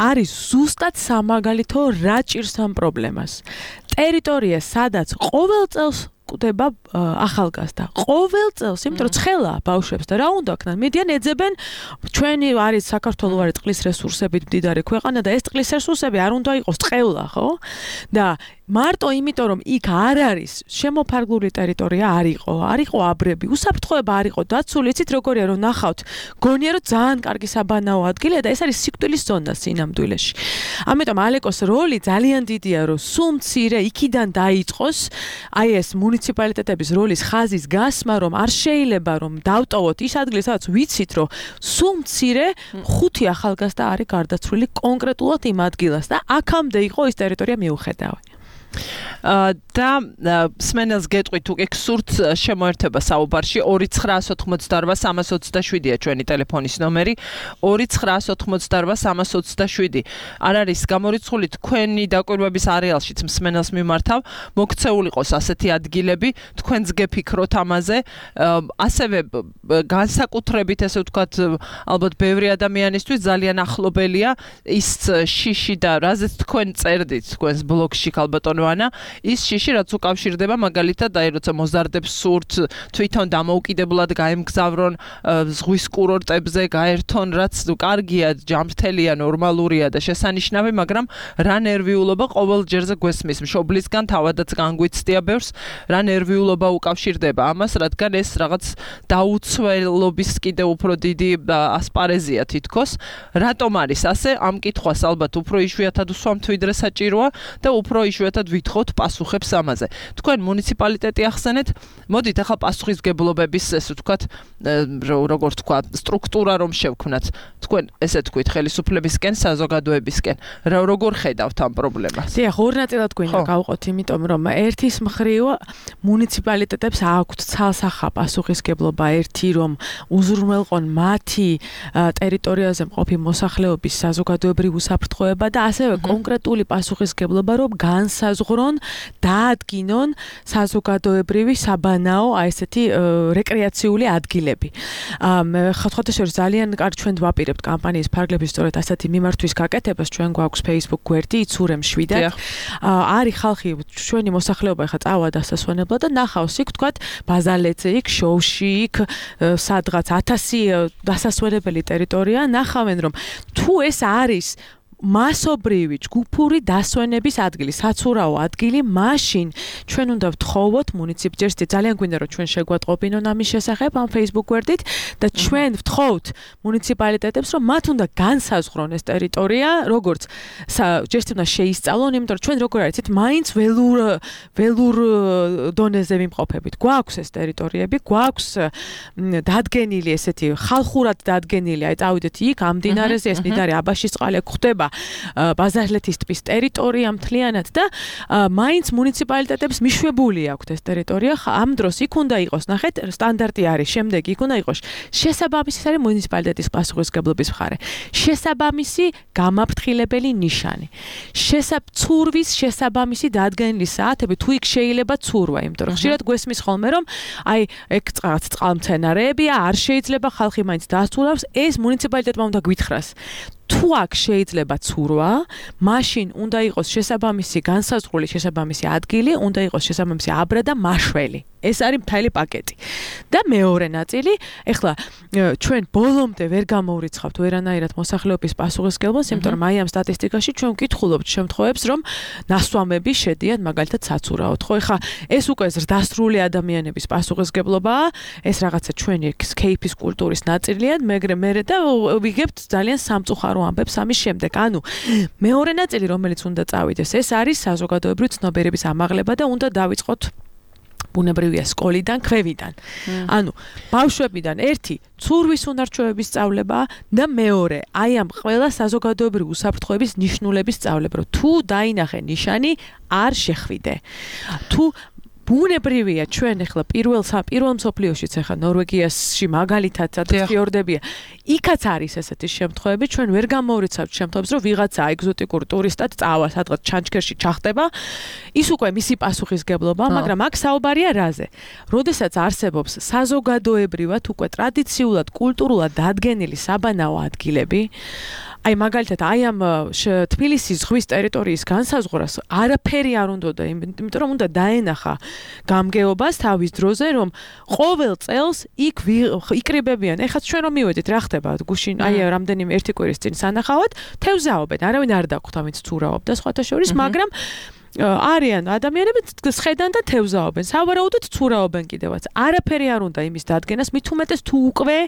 არის ზუსტად სამაგალითო რა ჭირს ამ პრობლემას. ტერიტორია, სადაც ყოველ წელს კვდება ახალგაზრდა. ყოველ წელს, იმიტომ რომ ცხელა ბავშვებს და რა უნდა ქნან, მიდიან ეძებენ, ჩვენი არის საქართველოს არის წყლის რესურსებით მდიდარი ქვეყანა და ეს წყლის რესურსები არ უნდა იყოს წყევლა, ხო? და მარტო იმიტომ რომ იქ არ არის შემოფარგლული ტერიტორია არ იყო, არ იყო აბრები, უსაფრთხოება არ იყო დაცული, იცით როგორია რომ ნახავთ, გონია რომ ძალიან კარგი საბანაო ადგილია და ეს არის სიკვდილის ზონა სინამდვილეში. ამიტომ ალეკოს როლი ძალიან დიდია, რომ სულ მცირე იქიდან დაიწყოს აი ეს მუნიციპალიტეტების როლის ხაზის გასმა, რომ არ შეიძლება რომ დავტოვოთ ის ადგილი, სადაც ვიცით, რომ სულ მცირე ხუთი ახალგაზრდა არის გარდაცვლილი კონკრეტულად იმ ადგილას და აქამდე იყო ის ტერიტორია მიუხედავი. და სმენელს გეტყვით თუ გექსურთ შემოერთება საუბარში ორი ცხრაას ოთხმოცდარვა სამას ოცდაშვიდია ჩვენი ტელეფონის ნომერი ორი ცხრაას ოთხმოცდარვა სამას ოცდაშვიდი არ არის გამორიცხული თქვენი დაკვირვების არეალშიც მსმენელს მიმართავ მოქცეული ყოს ასეთი ადგილები თქვენს გეფიქროთ ამაზე ასევე განსაკუთრებით ესე ვთქვათ ალბათ ბევრი ადამიანისთვის ძალიან ახლობელია ის შიში და რაზეც თქვენ წერდით თქვენს ბლოგში ქალბატონოანა ის შიში რაც უკავშირდება მაგალითად აი როცა მოზარდებს სურთ თვითონ დამოუკიდებლად გაემგზავრონ ზღვის კურორტებზე გაერთონ რაც კარგია ჯანმრთელია ნორმალურია და შესანიშნავი მაგრამ რა ნერვიულობა ყოველ ჯერზე გვესმის მშობლისგან თავადაც განგვიცდია ბევრს რა ნერვიულობა უკავშირდება ამას რადგან ეს რაღაც დაუცველობის კიდე უფრო დიდი ასპარეზია თითქოს რატომ არის ასე ამ კითხვას ალბათ უფრო იშვიათად უსვამთ ვიდრე საჭიროა და უფრო იშვიათად ვითხოვთ პასუხებს ამაზე. თქვენ მუნიციპალიტეტი ახსენეთ, მოდით ახლა პასუხისმგებლობების ესე ვთქვათ, როგორ თქვა, სტრუქტურა რომ შევქმნათ. თქვენ ესე თქვით ხელისუფლებისკენ, საზოგადოებისკენ. რა როგორ ხედავთ ამ პრობლემას? დიახ, ორ ნაწილად გვინდა გავყოთ, იმიტომ რომ ერთის მხრივ მუნიციპალიტეტებს აქვთ ცალსახა პასუხისმგებლობა, ერთი რომ უზრუნველყონ მათი ტერიტორიაზე მყოფი მოსახლეობის საზოგადოებრივი უსაფრთხოება და ასევე კონკრეტული პასუხისმგებლობა რომ განსაზღვრონ დაადგინონ საზოგადოებრივი საბანაო აი ესეთი რეკრეაციული ადგილები. ხოთხოვთ ძალიან კარგ ჩვენ ვაპირებთ კამპანიის ფარგლების სწორედ ასეთი მიმართვის გაკეთებას ჩვენ გვაქვს Facebook გვერდი იცურემ შვიდად. არის ხალხი ჩვენი მოსახლეობა ხა წავა დასასვენებლად და ნახავს იქ თქვათ ბაზალეთზე იქ შოუში იქ სადღაც ათასი დასასვენებელი ტერიტორია ნახავენ რომ თუ ეს არის მასობრივი ჯგუფური დასვენების ადგილი, საცურაო ადგილი, მაშინ ჩვენ უნდა ვთხოვოთ მუნიციპალიტეტს, ძალიან გვინდა რომ ჩვენ შეგვატყობინონ ამის შესახებ ამ Facebook გვერდით და ჩვენ ვთხოვთ მუნიციპალიტეტებს, რომ მათ უნდა განსაზღვრონ ეს ტერიტორია, როგორც ჯერთ უნდა შეისწავლონ, იმიტომ რომ ჩვენ როგორ არის, მაინც ველურ ველურ დონეზე ვიმყოფებით. გვაქვს ეს ტერიტორიები, გვაქვს დადგენილი ესეთი ხალხურად დადგენილი, აი წავიდეთ იქ ამ მდინარეზე, ეს მდინარე აბაშისწყალი გვხვდება ბაზალეთის ტბის ტერიტორია მთლიანად და მაინც მუნიციპალიტეტებს მიშვებული აქვთ ეს ტერიტორია. ამ დროს იქ უნდა იყოს, ნახეთ, სტანდარტი არის, შემდეგ იქ უნდა იყოს შესაბამისი არის მუნიციპალიტეტის პასუხისმგებლობის მხარე. შესაბამისი გამაფრთხილებელი ნიშანი. შესაბცურვის შესაბამისი დადგენილი საათები, თუ იქ შეიძლება ცურვა, იმიტომ რომ ხშირად გვესმის ხოლმე რომ აი ეგ რაღაც წყალმცენარეებია, არ შეიძლება ხალხი მაინც დასცურავს, ეს მუნიციპალიტეტმა უნდა გვითხრას. თუ აქ შეიძლება ცურვა, მაშინ უნდა იყოს შესაბამისი განსაზღვრული შესაბამისი ადგილი, უნდა იყოს შესაბამისი აბრა და მაშველი. ეს არის მთელი პაკეტი. და მეორე ნაწილი, ეხლა ჩვენ ბოლომდე ვერ გამოვრიცხავთ ვერანაირად მოსახლეობის პასუხისმგებლობას, იმიტომ რომ აი ამ სტატისტიკაში ჩვენ ვკითხულობთ შემთხვევებს, რომ ნასვამები შედიან მაგალითად საცურაოდ. ხო, ეხლა ეს უკვე ზრდასრული ადამიანების პასუხისმგებლობაა, ეს რაღაცა ჩვენი სკეიპის კულტურის ნაწილია, მაგრამ მე და ვიგებთ ძალიან სამწუხარო ამბებს ამის შემდეგ. ანუ მეორე ნაწილი, რომელიც უნდა წავიდეს, ეს არის საზოგადოებრივი ცნობიერების ამაღლება და უნდა დავიწყოთ ბუნებრივია სკოლიდან, ქვევიდან. ანუ ბავშვებიდან ერთი ცურვის უნარჩვევების სწავლება და მეორე აი ამ ყველა საზოგადოებრივი უსაფრთხოების ნიშნულების სწავლება, რომ თუ დაინახე ნიშანი, არ შეხვიდე. თუ ბუნებრივია ჩვენ ახლა პირველ პირველ მსოფლიოშიც ახლა ნორვეგიაში მაგალითად ფიორდებია. იქაც არის ესეთი შემთხვევები, ჩვენ ვერ გამოვრიცავთ შემთხვევებს, რომ ვიღაცა ეგზოტიკურ ტურისტად წავა, სადღაც ჩანჩქერში ჩახტება, ის უკვე მისი პასუხისმგებლობაა, მაგრამ აქ საუბარია რაზე? როდესაც არსებობს საზოგადოებრივად უკვე ტრადიციულად, კულტურულად დადგენილი საბანაო ადგილები, აი მაგალითად აი ამ თბილისის ზღვის ტერიტორიის განსაზღვრას არაფერი არ უნდოდა, იმიტომ რომ უნდა დაენახა გამგეობას თავის დროზე, რომ ყოველ წელს იქ იკრიბებიან. ეხლა ჩვენ რომ მივედით, რა ხდება გუშინ, აი რამდენიმე ერთი კვირის წინ სანახავად, თევზაობენ, არავინ არ დაგვხვდა, ვინც ცურავობდა სხვათა შორის, მაგრამ არიან ადამიანები სხედან და თევზაობენ. სავარაუდოდ ცურავენ კიდევაც. არაფერი არ უნდა იმის დადგენას, მით უმეტეს თუ უკვე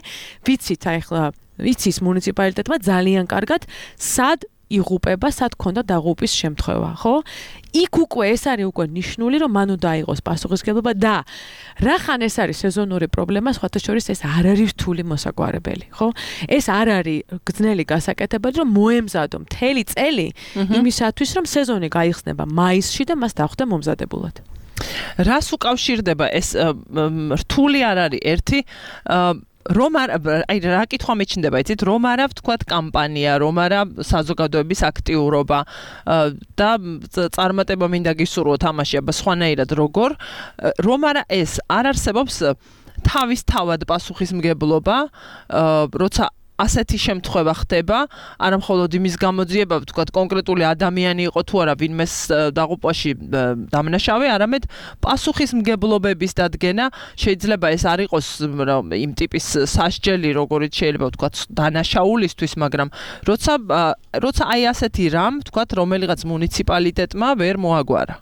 ვიცით, აი ახლა ვიცის მუნიციპალიტეტმა ძალიან კარგად სად იღუპება, სად ქონდა დაღუპვის შემთხვევა, ხო? იქ უკვე ეს არის უკვე ნიშნული, რომ მან უნდა აიღოს პასუხისმგებლობა და რახან ეს არის სეზონური პრობლემა, სხვათა შორის ეს არ არის რთული მოსაგვარებელი, ხო? ეს არ არის გრძნელი გასაკეთებელი, რომ მოემზადო მთელი წელი იმისათვის, რომ სეზონი გაიხსნება მაისში და მას დახვდა მომზადებულად. რას უკავშირდება ეს რთული არ არის ერთი რომ არ აი რა კითხვა მეჩნდება, იცით, რომ არა ვთქვათ კამპანია, რომ არა საზოგადოების აქტიურობა და წარმატება მინდა გისურვოთ ამაში, აბა სხვანაირად როგორ, რომ არა ეს არ არსებობს თავისთავად პასუხისმგებლობა, როცა ასეთი შემთხვევა ხდება, არა მხოლოდ იმის გამოძიება, ვთქვათ, კონკრეტული ადამიანი იყო თუ არა ვინმეს დაღუპვაში დამნაშავე, არამედ პასუხისმგებლობების დადგენა, შეიძლება ეს არ იყოს იმ ტიპის სასჯელი, როგორიც შეიძლება ვთქვათ დანაშაულისთვის, მაგრამ როცა როცა აი ასეთი რამ, ვთქვათ, რომელიღაც მუნიციპალიტეტმა ვერ მოაგვარა.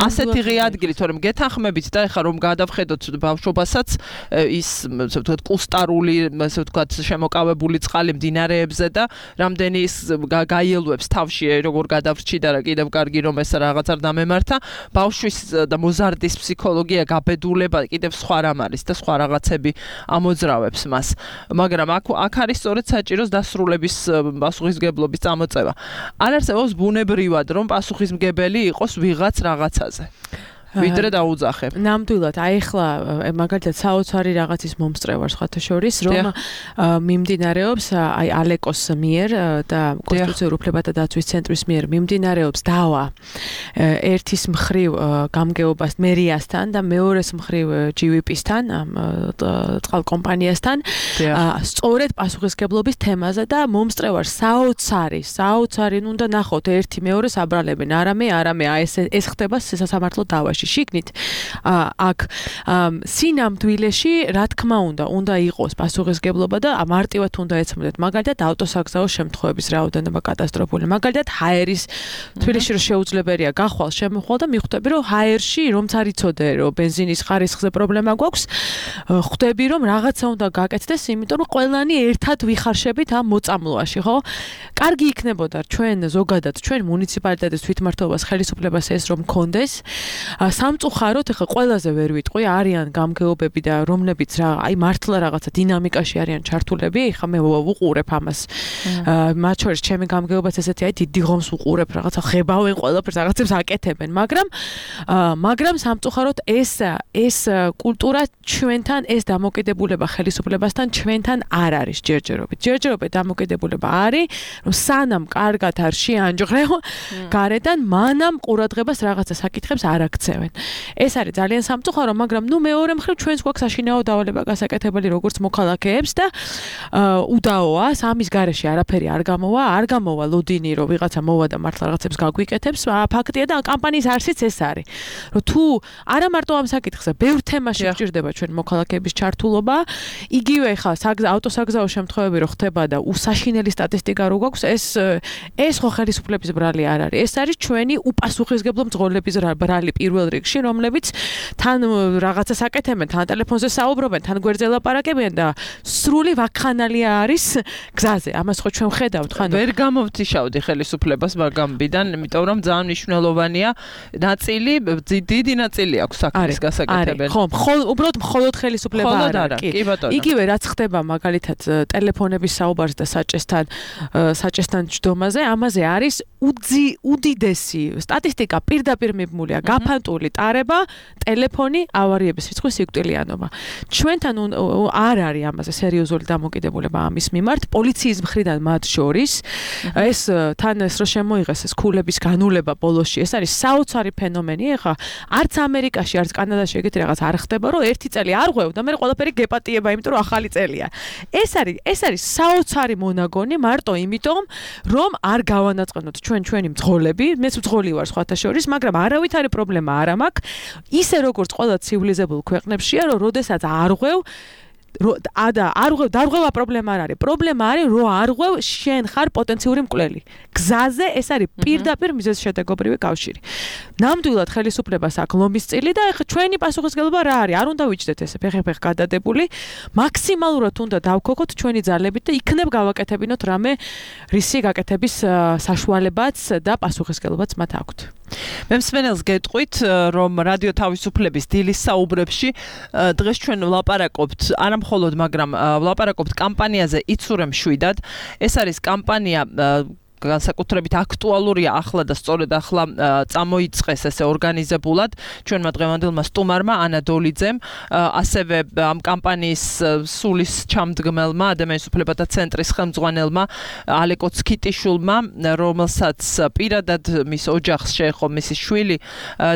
ასეთი ღია ადგილი, თორემ გეთანხმებით და ეხლა რომ გადავხედოთ ბავშვობასაც ის ასე ვთქვათ კუსტარული, ასე ვთქვათ შემოკავებული წყალი მდინარეებზე და რამდენი ის გაიელვებს თავში როგორ გადავრჩი და კიდევ კარგი რომ ეს რაღაც არ დამემართა, ბავშვის და მოზარდის ფსიქოლოგია, გაბედულება კიდევ სხვა რამ არის და სხვა რაღაცები ამოძრავებს მას. მაგრამ აქ აქ არის სწორედ საჭიროს დასრულების პასუხისმგებლობის წამოწევა. არ არსებობს ბუნებრივად რომ პასუხისმგებელი იყოს ვიღაც რაღაცაზე. ვიდრე დაუძახებ. ნამდვილად, აი ახლა მაგალითად საოცარი რაღაცის მომსწრევარ სხვათა შორის, რომ მიმდინარეობს აი ალეკოს მიერ და კონსტიტუციურ უფლებათა დაცვის ცენტრის მიერ მიმდინარეობს დავა ერთის მხრივ გამგეობას მერიასთან და მეორეს მხრივ ჯი ვი პი-სთან, წყალკომპანიასთან, სწორედ პასუხისმგებლობის თემაზე და მომსწრევარ საოცარი, საოცარი უნდა ნახოთ ერთი მეორეს აბრალებენ, არამე, არამე, აი ეს ეს ხდება სასამართლო დავაში. შიგნით აქ სინამდვილეში რა თქმა უნდა უნდა იყოს პასუხისგებლობა და მარტივად უნდა ეცემოდეთ მაგალითად ავტოსაგზაო შემთხვევების რაოდენობა კატასტროფული მაგალითად ჰაერის თბილისში რომ შეუძლებელია გახვალ შემოხვალ და მიხვდები რომ ჰაერში რომც არ იცოდე რომ ბენზინის ხარისხზე პრობლემა გვაქვს ხვდები რომ რაღაცა უნდა გაკეთდეს იმიტომ რომ ყველანი ერთად ვიხარშებით ამ მოწამლობაში ხო კარგი იქნებოდა ჩვენ ზოგადად ჩვენ მუნიციპალიტეტის თვითმმართველობას ხელისუფლებას ეს რომ მქონდეს სამწუხაროდ ახლა ყველაზე ვერ ვიტყვი არიან გამგეობები და რომლებიც რა აი მართლა რაღაცა დინამიკაში არიან ჩართულები ეხლა მე ვუყურებ ამას მათ შორის ჩემი გამგეობაც ესეთი აი დიდი ღომს ვუყურებ რაღაცა ხებავენ ყველაფერს რაღაცებს აკეთებენ მაგრამ მაგრამ სამწუხაროდ ეს ეს კულტურა ჩვენთან ეს დამოკიდებულება ხელისუფლებასთან ჩვენთან არ არის ჯერჯერობით ჯერჯერობით დამოკიდებულება არის რომ სანამ კარგად არ შეანჯღრევ გარედან მანამ ყურადღებას რაღაცა საკითხებს არ აქცევენ ეს არის ძალიან სამწუხარო მაგრამ ნუ მეორე მხრივ ჩვენს გვაქვს საშინაო დავალება გასაკეთებელი როგორც მოქალაქეებს და უდაოა სამის გარეშე არაფერი არ გამოვა არ გამოვა ლოდინი რომ ვიღაცა მოვა და მართლა რაღაცებს გაგვიკეთებს ფაქტია და კამპანიის არსიც ეს არის რომ თუ არა მარტო ამ საკითხზე ბევრ თემაში გჭირდება ჩვენ მოქალაქეების ჩართულობა იგივე ხა ავტოსაგზაო შემთხვევები რო ხდება და უსაშინელი სტატისტიკა რო გვაქვს ეს ეს ხო ხელისუფლების ბრალი არ არის ეს არის ჩვენი უპასუხისგებლო მძღოლების ბრალი პირველ რიგში რომლებიც თან რაღაცას აკეთებენ თან ტელეფონზე საუბრობენ თან გვერდზე ლაპარაკებიან და სრული ვაქხანალია არის გზაზე ამას ხო ჩვენ ვხედავთ ხან ვერ გამოვთიშავდი ხელისუფლებას მაგამბიდან იმიტომ რომ ძალიან მნიშვნელოვანია ნაწილი დიდი ნაწილი აქვს საქმის გასაკეთებელი ხო უბრალოდ მხოლოდ ხელისუფლება არ არის კი ბატონო იგივე რაც ხდება მაგალითად ტელეფონების საუბარს და საჭესთან საჭესთან ჯდომაზე ამაზე არის უძი უდიდესი სტატისტიკა პირდაპირ მიბმულია გაფანტული ტარება ტელეფონი ავარიების რიცხვის სიკვდილიანობა ჩვენთან არ არის ამაზე სერიოზული დამოკიდებულება ამის მიმართ პოლიციის მხრიდან მათ შორის ეს თან ეს რომ შემოიღეს ეს ქულების განულება ბოლოში ეს არის საოცარი ფენომენი ეხა არც ამერიკაში არც კანადაში ეგეთი რაღაც არ ხდება რომ ერთი წელი არ ღვევ და მე ყველაფერი გეპატიება იმიტომ რომ ახალი წელია ეს არის ეს არის საოცარი მონაგონი მარტო იმიტომ რომ არ გავანაწყენოთ ჩვენ ჩვენი მძღოლები მეც მძღოლი ვარ სხვათა შორის მაგრამ არავითარი პრობლემა არ მაქვს ისე როგორც ყველა ცივილიზებულ ქვეყნებშია რომ როდესაც არ ღვევ და არ ღვევ დარღვევა პრობლემა არ არის პრობლემა არის რომ არ ღვევ შენ ხარ პოტენციური მკვლელი გზაზე ეს არის პირდაპირ მიზეზშედეგობრივი კავშირი ნამდვილად ხელისუფლებას აქვს ლომისწილი და ეხლა ჩვენი პასუხისგებლობა რა არის არ უნდა ვიჭდეთ ესე ფეხ-ფეხ გადადებული მაქსიმალურად უნდა დავქოქოთ ჩვენი ძალებით და იქნებ გავაკეთებინოთ რამე რისი გაკეთების საშუალებაც და პასუხისგებლობაც მათ აქვთ მე მსმენელს გეტყვით რომ რადიო თავისუფლების დილის საუბრებში დღეს ჩვენ ვლაპარაკობთ არა მხოლოდ მაგრამ ვლაპარაკობთ კამპანიაზე იცურემ შვიდად ეს არის კამპანია განსაკუთრებით აქტუალურია ახლა და სწორედ ახლა წამოიწყეს ესე ორგანიზებულად ჩვენმა დღევანდელმა სტუმარმა ანა დოლიძემ ასევე ამ კამპანიის სულის ჩამდგმელმა ადამიანის უფლებათა ცენტრის ხელმძღვანელმა ალეკო ცკიტიშვილმა რომელსაც პირადად მის ოჯახს შეეხო მისი შვილი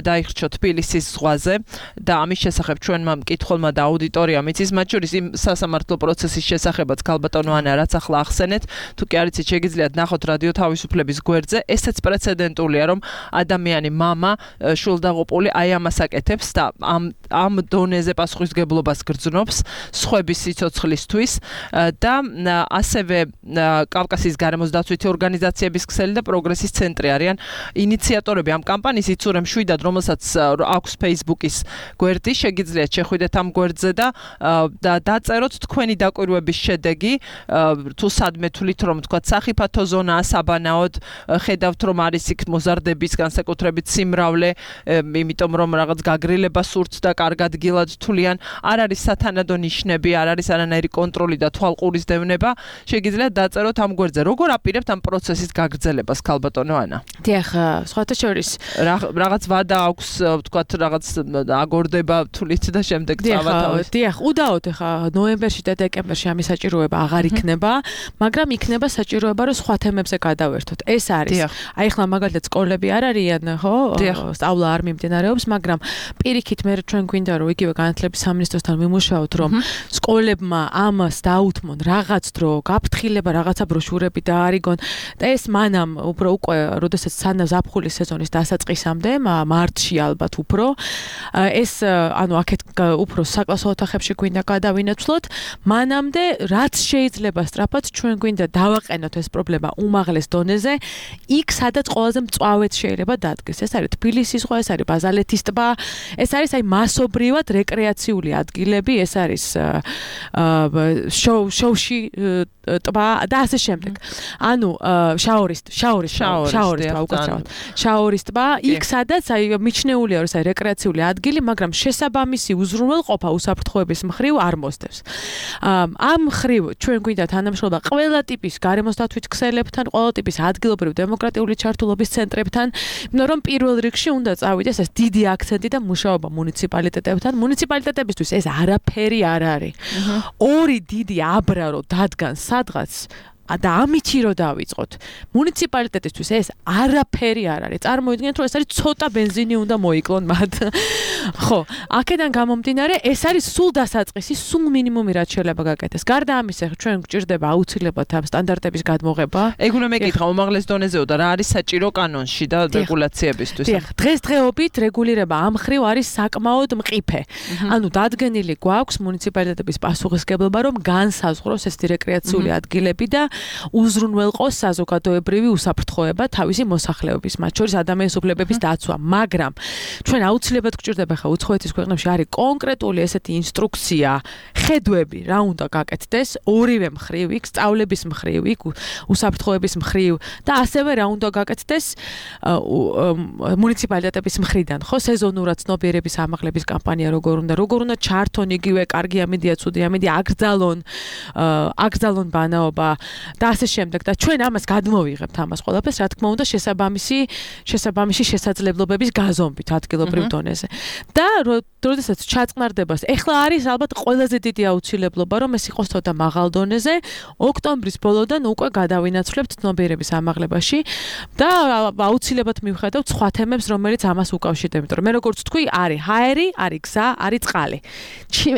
დაიხრჩო თბილისის ზღვაზე და ამის შესახებ ჩვენმა მკითხველმა და აუდიტორიამ იცის მათ შორის იმ სასამართლო პროცესის შესახებაც ქალბატონო ანა რაც ახლა ახსენეთ თუ კი არიცით შეგიძლიათ ნახოთ რადიო თავისუფლების გვერდზე ესეც პრეცედენტულია რომ ადამიანი მამა შულდაღუპული აი ამას აკეთებს და ამ ამ დონეზე პასუხისგებლობას გრძნობს სხვების სიცოცხლისთვის და ასევე კავკასიის გარემოს დაცვითი ორგანიზაციების ქსელი და პროგრესის ცენტრი არიან ინიციატორები ამ კამპანიის იცურემ შვიდად რომელსაც აქვს Facebook-ის გვერდი შეგიძლიათ შეხვიდეთ ამ გვერდზე და დაწეროთ თქვენი დაკვირვების შედეგი თუ სადმე თვლით რომ თქვა სახიფათო ზონაა საბანაოდ ხედავთ რომ არის იქ მოზარდების განსაკუთრებით სიმრავლე იმიტომ რომ რაღაც გაგრილება სურთ და კარგ ადგილად თვლიან არ არის სათანადო ნიშნები არ არის არანაირი კონტროლი და თვალყურის დევნება შეგიძლიათ დაწეროთ ამ გვერდზე როგორ აპირებთ ამ პროცესის გაგრძელებას ქალბატონო ანა დიახ სხვათა შორის რაღაც ვადა აქვს თქვა რაღაც აგორდება თვლით და შემდეგ წავათავით დიახ უდაოდ ხა ნოემბერში და დეკემბერში ამის საჭიროება აღარ იქნება მაგრამ იქნება საჭიროება რომ სხვა თემებზე გადავერთოთ. ეს არის. აი ახლა მაგალითად სკოლები არ არიან, ხო? სწავლა არ მიმდინარეობს, მაგრამ პირიქით მე ჩვენ გვინდა რომ იგივე განათლების სამინისტროსთან ვიმუშაოთ, რომ სკოლებმა ამას დაუთმონ რაღაც დრო, გაფრთხილება, რაღაცა ბროშურები დაარიგონ და ეს მანამ უფრო უკვე როდესაც სანამ ზაფხულის სეზონის დასაწყისამდე, მარტში ალბათ უფრო ეს ანუ აქეთ უფრო საკლასო ოთახებში გვინდა გადავინაცვლოთ, მანამდე რაც შეიძლება სწრაფად ჩვენ გვინდა დავაყენოთ ეს პრობლემა უმაღლეს დონეზე, იქ სადაც ყველაზე მწვავედ შეიძლება დადგეს. ეს არის თბილისის ზღვა, ეს არის ბაზალეთის ტბა, ეს არის აი მასობრივად რეკრეაციული ადგილები, ეს არის შოუში ტბა და ასე შემდეგ. ანუ შაორის შაორის შაორის ტბა უკაცრავად. შაორის ტბა, იქ სადაც აი მიჩნეულია რომ ეს არის რეკრეაციული ადგილი, მაგრამ შესაბამისი უზრუნველყოფა უსაფრთხოების მხრივ არ მოსდევს. ამ მხრივ ჩვენ გვინდა თანამშრომლობა ყველა ტიპის გარემოსდაცვით ქსელებთან, ყველა ტიპის ადგილობრივ დემოკრატიული ჩართულობის ცენტრებთან, იმიტომ რომ პირველ რიგში უნდა წავიდეს ეს დიდი აქცენტი და მუშაობა მუნიციპალიტეტებთან. მუნიციპალიტეტებისთვის ეს არაფერი არ არის. ორი დიდი აბრა რო დადგან სადღაც და ამითი რო დავიწყოთ. მუნიციპალიტეტისთვის ეს არაფერი არ არის. წარმოიდგინეთ, რომ ეს არის ცოტა ბენზინი უნდა მოიკლონ მათ. ხო, აქედან გამომდინარე, ეს არის სულ დასაწყისი, სულ მინიმუმი რაც შეიძლება გაკეთდეს. გარდა ამისა, ჩვენ გვჭირდება აუცილებლად ამ სტანდარტების გადმოღება. ეგ უნდა მეკითხა უმაღლეს დონეზეო და რა არის საჭირო კანონში და რეგულაციებისთვის. დიახ, დღესდღეობით რეგულირება ამ ხრივ არის საკმაოდ მყიფე. ანუ დადგენილი გვაქვს მუნიციპალიტეტების პასუხისგებლობა, რომ განსაზღვროს ეს რეკრეაციული ადგილები და უზრუნველყოს საზოგადოებრივი უსაფრთხოება თავისი მოსახლეობის, მათ შორის ადამიანის უფლებების დაცვა, მაგრამ ჩვენ აუცილებლად გვჭირდება ხა უცხოეთის ქვეყნებში არის კონკრეტული ესეთი ინსტრუქცია, ხედვები, რა უნდა გაკეთდეს ორივე მხრივ, იქ სწავლების მხრივ, იქ უსაფრთხოების მხრივ და ასევე რა უნდა გაკეთდეს მუნიციპალიტეტების მხრიდან, ხო, სეზონურად ცნობიერების ამაღლების კამპანია როგორ უნდა, როგორ უნდა ჩართონ იგივე კარგი ამედია, ცუდი ამედია, აკრძალონ, აკრძალონ ბანაობა და ასე შემდეგ და ჩვენ ამას გადმოვიღებთ ამას ყველაფერს, რა თქმა უნდა, შესაბამისი შესაბამისი შესაძლებლობების გაზომვით ადგილობრივ დონეზე. და როდესაც ჩაწყნარდება, ეხლა არის ალბათ ყველაზე დიდი აუცილებლობა, რომ ეს იყოს ცოტა მაღალ დონეზე, ოქტომბრის ბოლოდან უკვე გადავინაცვლებთ ცნობიერების ამაღლებაში და აუცილებლად მივხედავთ სხვა თემებს, რომელიც ამას უკავშირდება, იმიტომ რომ მე როგორც თქვი, არის ჰაერი, არის გზა, არის წყალი.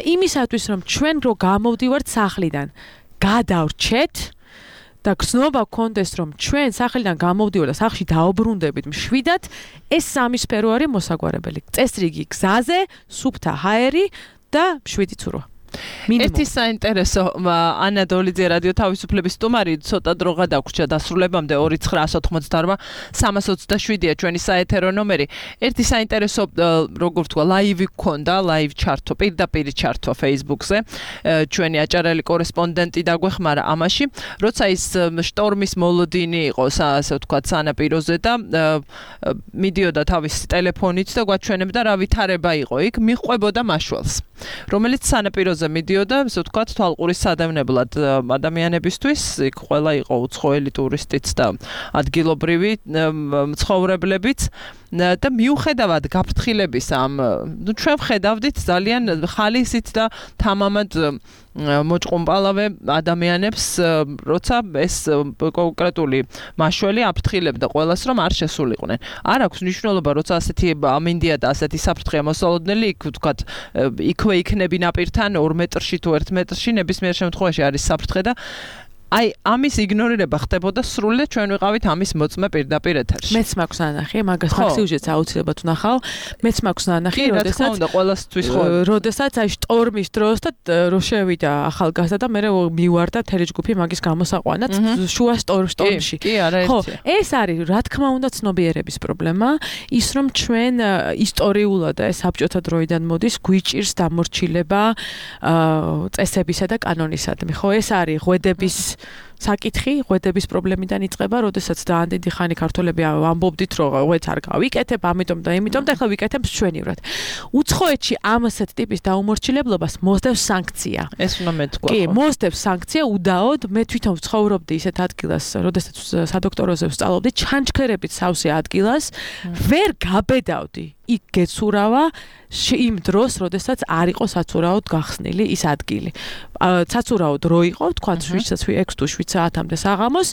იმისათვის, რომ ჩვენ რო გამოვდივართ სახლიდან, გადავრჩეთ და გზნობა გქონდეს, რომ ჩვენ სახლიდან გამოვდივართ და სახლში დაუბრუნდებით მშვიდად, ეს სამი სფერო არის მოსაგვარებელი. წესრიგი გზაზე, სუფთა ჰაერი და მშვიდი ცურვა. ერთი საინტერესო ანა დოლიძე რადიო თავისუფლების სტუმარი ცოტა დრო გადაგვრჩა დასრულებამდე ორი ცხრაას ოთხმოცდაორმა სამას ოცდაშვიდია ჩვენი საეთერო ნომერი. ერთი საინტერესო როგორ ვთქვა ლაივი გქონდა, ლაივ ჩართო, პირდაპირ ჩართო Facebook-ზე. ჩვენი აჭარელი კორესპონდენტი დაგვეხმარა ამაში, როცა ის შტორმის მოლოდინი იყო, ასე ვთქვათ, სანაპიროზე და მიდიოდა თავისი ტელეფონით და გვაჩვენებდა რა ვითარება იყო იქ, მიჰყვებოდა მაშველს, რომელიც სანაპიროზე მიდიოდა, ასე ვთქვათ, თვალყურის სადევნებლად ადამიანებისთვის, იქ ყველა იყო უცხოელი ტურისტიც და ადგილობრივი მცხოვრებლებიც და მიუხედავად გაფრთხილების ამ, ნუ ჩვენ ვხედავდით ძალიან ხალისით და თამამად მოჭყუმპალავე ადამიანებს, როცა ეს კონკრეტული მაშველი აფრთხილებდა ყველას, რომ არ შესულიყვნენ. არ აქვს მნიშვნელობა, როცა ასეთი ამინდია და ასეთი საფრთხეა მოსალოდნელი, იქ ვთქვათ, იქვე იქნები ნაპირთან ორ მეტრში თუ ერთ მეტრში, ნებისმიერ შემთხვევაში არის საფრთხე და აი ამის იგნორირება ხდებოდა სრულად ჩვენ ვიყავით ამის მოწმე პირდაპირ ეთერში. მეც მაქვს ანახი, მაგას ფაქტიუჟეტს აუცილებლად ვნახავ. მეც მაქვს ანახი, როდესაც ყველასთვის ხო, როდესაც აი შტორმის დროს და რო შევიდა ახალგაზრდა და მე მივარდა მთელი ჯგუფი მაგის გამოსაყვანად შუა შტორმში. კი, არა ერთია. ხო, ეს არის რა თქმა უნდა ცნობიერების პრობლემა, ის რომ ჩვენ ისტორიულად და საბჭოთა დროიდან მოდის გვიჭირს დამორჩილება წესებისა და კანონისადმი. ხო, ეს არის ღვედების საკითხი, ღვედების პრობლემიდან იწყება, როდესაც ძალიან დიდი ხანი ქართველები ამბობდით, რომ ღვედს არ გავიკეთებ, ამიტომ და იმიტომ და ახლა ვიკეთებ ჩვენივრად. უცხოეთში ამასეთ ტიპის დაუმორჩილებლობას მოსდევს სანქცია. ეს უნდა მეთქვა. კი, მოსდევს სანქცია უდაოდ. მე თვითონ ვცხოვრობდი ისეთ ადგილას, როდესაც სადოქტოროზე ვსწავლობდი, ჩანჩქერებით სავსე ადგილას, ვერ გაბედავდი. იქ გეცურავა იმ დროს, როდესაც არ იყო საცურაოდ გახსნილი ის ადგილი. საცურაოდ რო იყო, თქვა ექვს თუ შვიდ საათამდე საღამოს,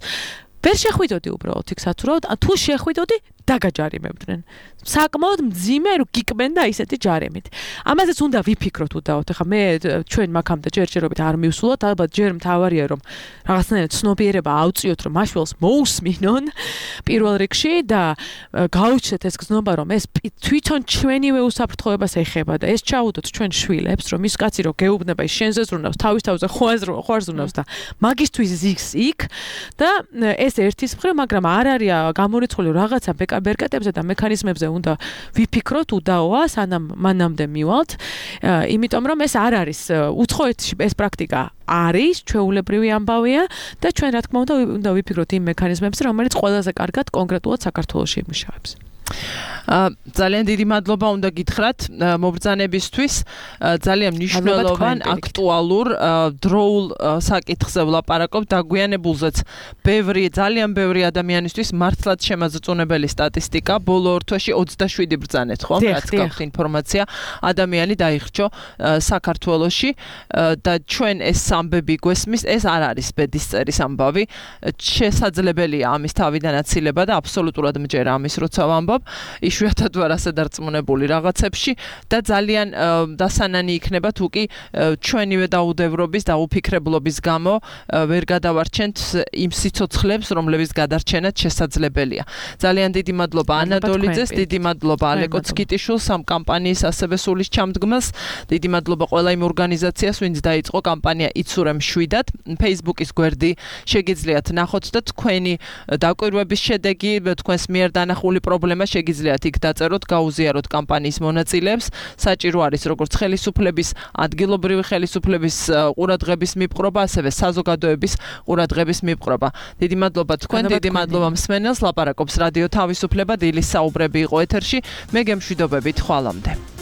ვერ შეხვიდოდი უბრალოდ იქ სათურავად, თუ შეხვიდოდი დაგაჯარიმებდნენ. საკმაოდ მძიმე რო გიკმენ და ისეთი ჯარემით. ამაზეც უნდა ვიფიქროთ უდაოდ. ახლა მე ჩვენ მაგამდე ჯერჯერობით არ მივსულოთ, ალბათ ჯერ მთავარია რომ რაღაცნაირად ცნობიერება ავწიოთ, რომ მაშველს მოусმინონ პირველ რიგში და გაუჩნდეთ ეს გზნობა, რომ ეს თვითონ ჩვენივე უსაფრთხოებას ეხება და ეს ჩაუდოთ ჩვენ შვილებს, რომ ის კაცი რო გეუბნება ის შენზე ზრუნავს, თავის თავზე ხوار ზრუნავს და მაგისთვის ზიგს იქ და ეს ერთის მხრივ, მაგრამ არ არის გამორიცხული რაღაცა ბერკეტებზე და მექანიზმებზე უნდა ვიფიქროთ უდაოა, სანამ მანამდე მივალთ, იმიტომ რომ ეს არ არის უცხოეთში ეს პრაქტიკა არის, ჩვეულებრივი ამბავია და ჩვენ რა თქმა უნდა უნდა ვიფიქროთ იმ მექანიზმებზე, რომელიც ყველაზე კარგად კონკრეტულად საქართველოში იმუშავებს. ძალიან დიდი მადლობა უნდა გითხრათ მობრძანებისთვის ძალიან მნიშვნელოვან აქტუალურ დროულ საკითხზე ვლაპარაკობ დაგვიანებულზეც ბევრი ძალიან ბევრი ადამიანისთვის მართლაც შემაძწუნებელი სტატისტიკა ბოლო ორ თვეში ოცდაშვიდი ბრძანეთ ხო რაც გაქვთ ინფორმაცია ადამიანი დაიხრჩო საქართველოში და ჩვენ ეს ამბები გვესმის ეს არ არის ბედისწერის ამბავი შესაძლებელია ამის თავიდან აცილება და აბსოლუტურად მჯერა ამის როცა ვამბობ იშვიათად ვარ ასე დარწმუნებული რაღაცებში და ძალიან დასანანი იქნება თუ კი ჩვენივე დაუდევრობის და უფიქრებლობის გამო ვერ გადავარჩენთ იმ სიცოცხლებს რომლებიც გადარჩენად შესაძლებელია. ძალიან დიდი მადლობა ანატოლიძეს, დიდი მადლობა ალეკო ცკიტიშვილს ამ კამპანიის ასევე სულის ჩამდგმელს, დიდი მადლობა ყველა იმ ორგანიზაციას, ვინც დაიწყო კამპანია იცურემ შვიდად. Facebook-ის გვერდი შეგიძლიათ ნახოთ და თქვენი დაკვირვების შედეგი, თქვენს მიერ დანახული პრობლემა შეგიძლიათ იქ დაწეროთ, გაუზიაროთ კამპანიის მონაწილეებს. საჭირო არის როგორც ხელისუფლების, ადგილობრივი ხელისუფლების ყურადღების მიპყრობა, ასევე საზოგადოების ყურადღების მიპყრობა. დიდი მადლობა თქვენ, დიდი მადლობა მსმენელს. ლაპარაკობს რადიო თავისუფლება, დილის საუბრები იყო ეთერში. მე გემშვიდობებით, ხვალამდე.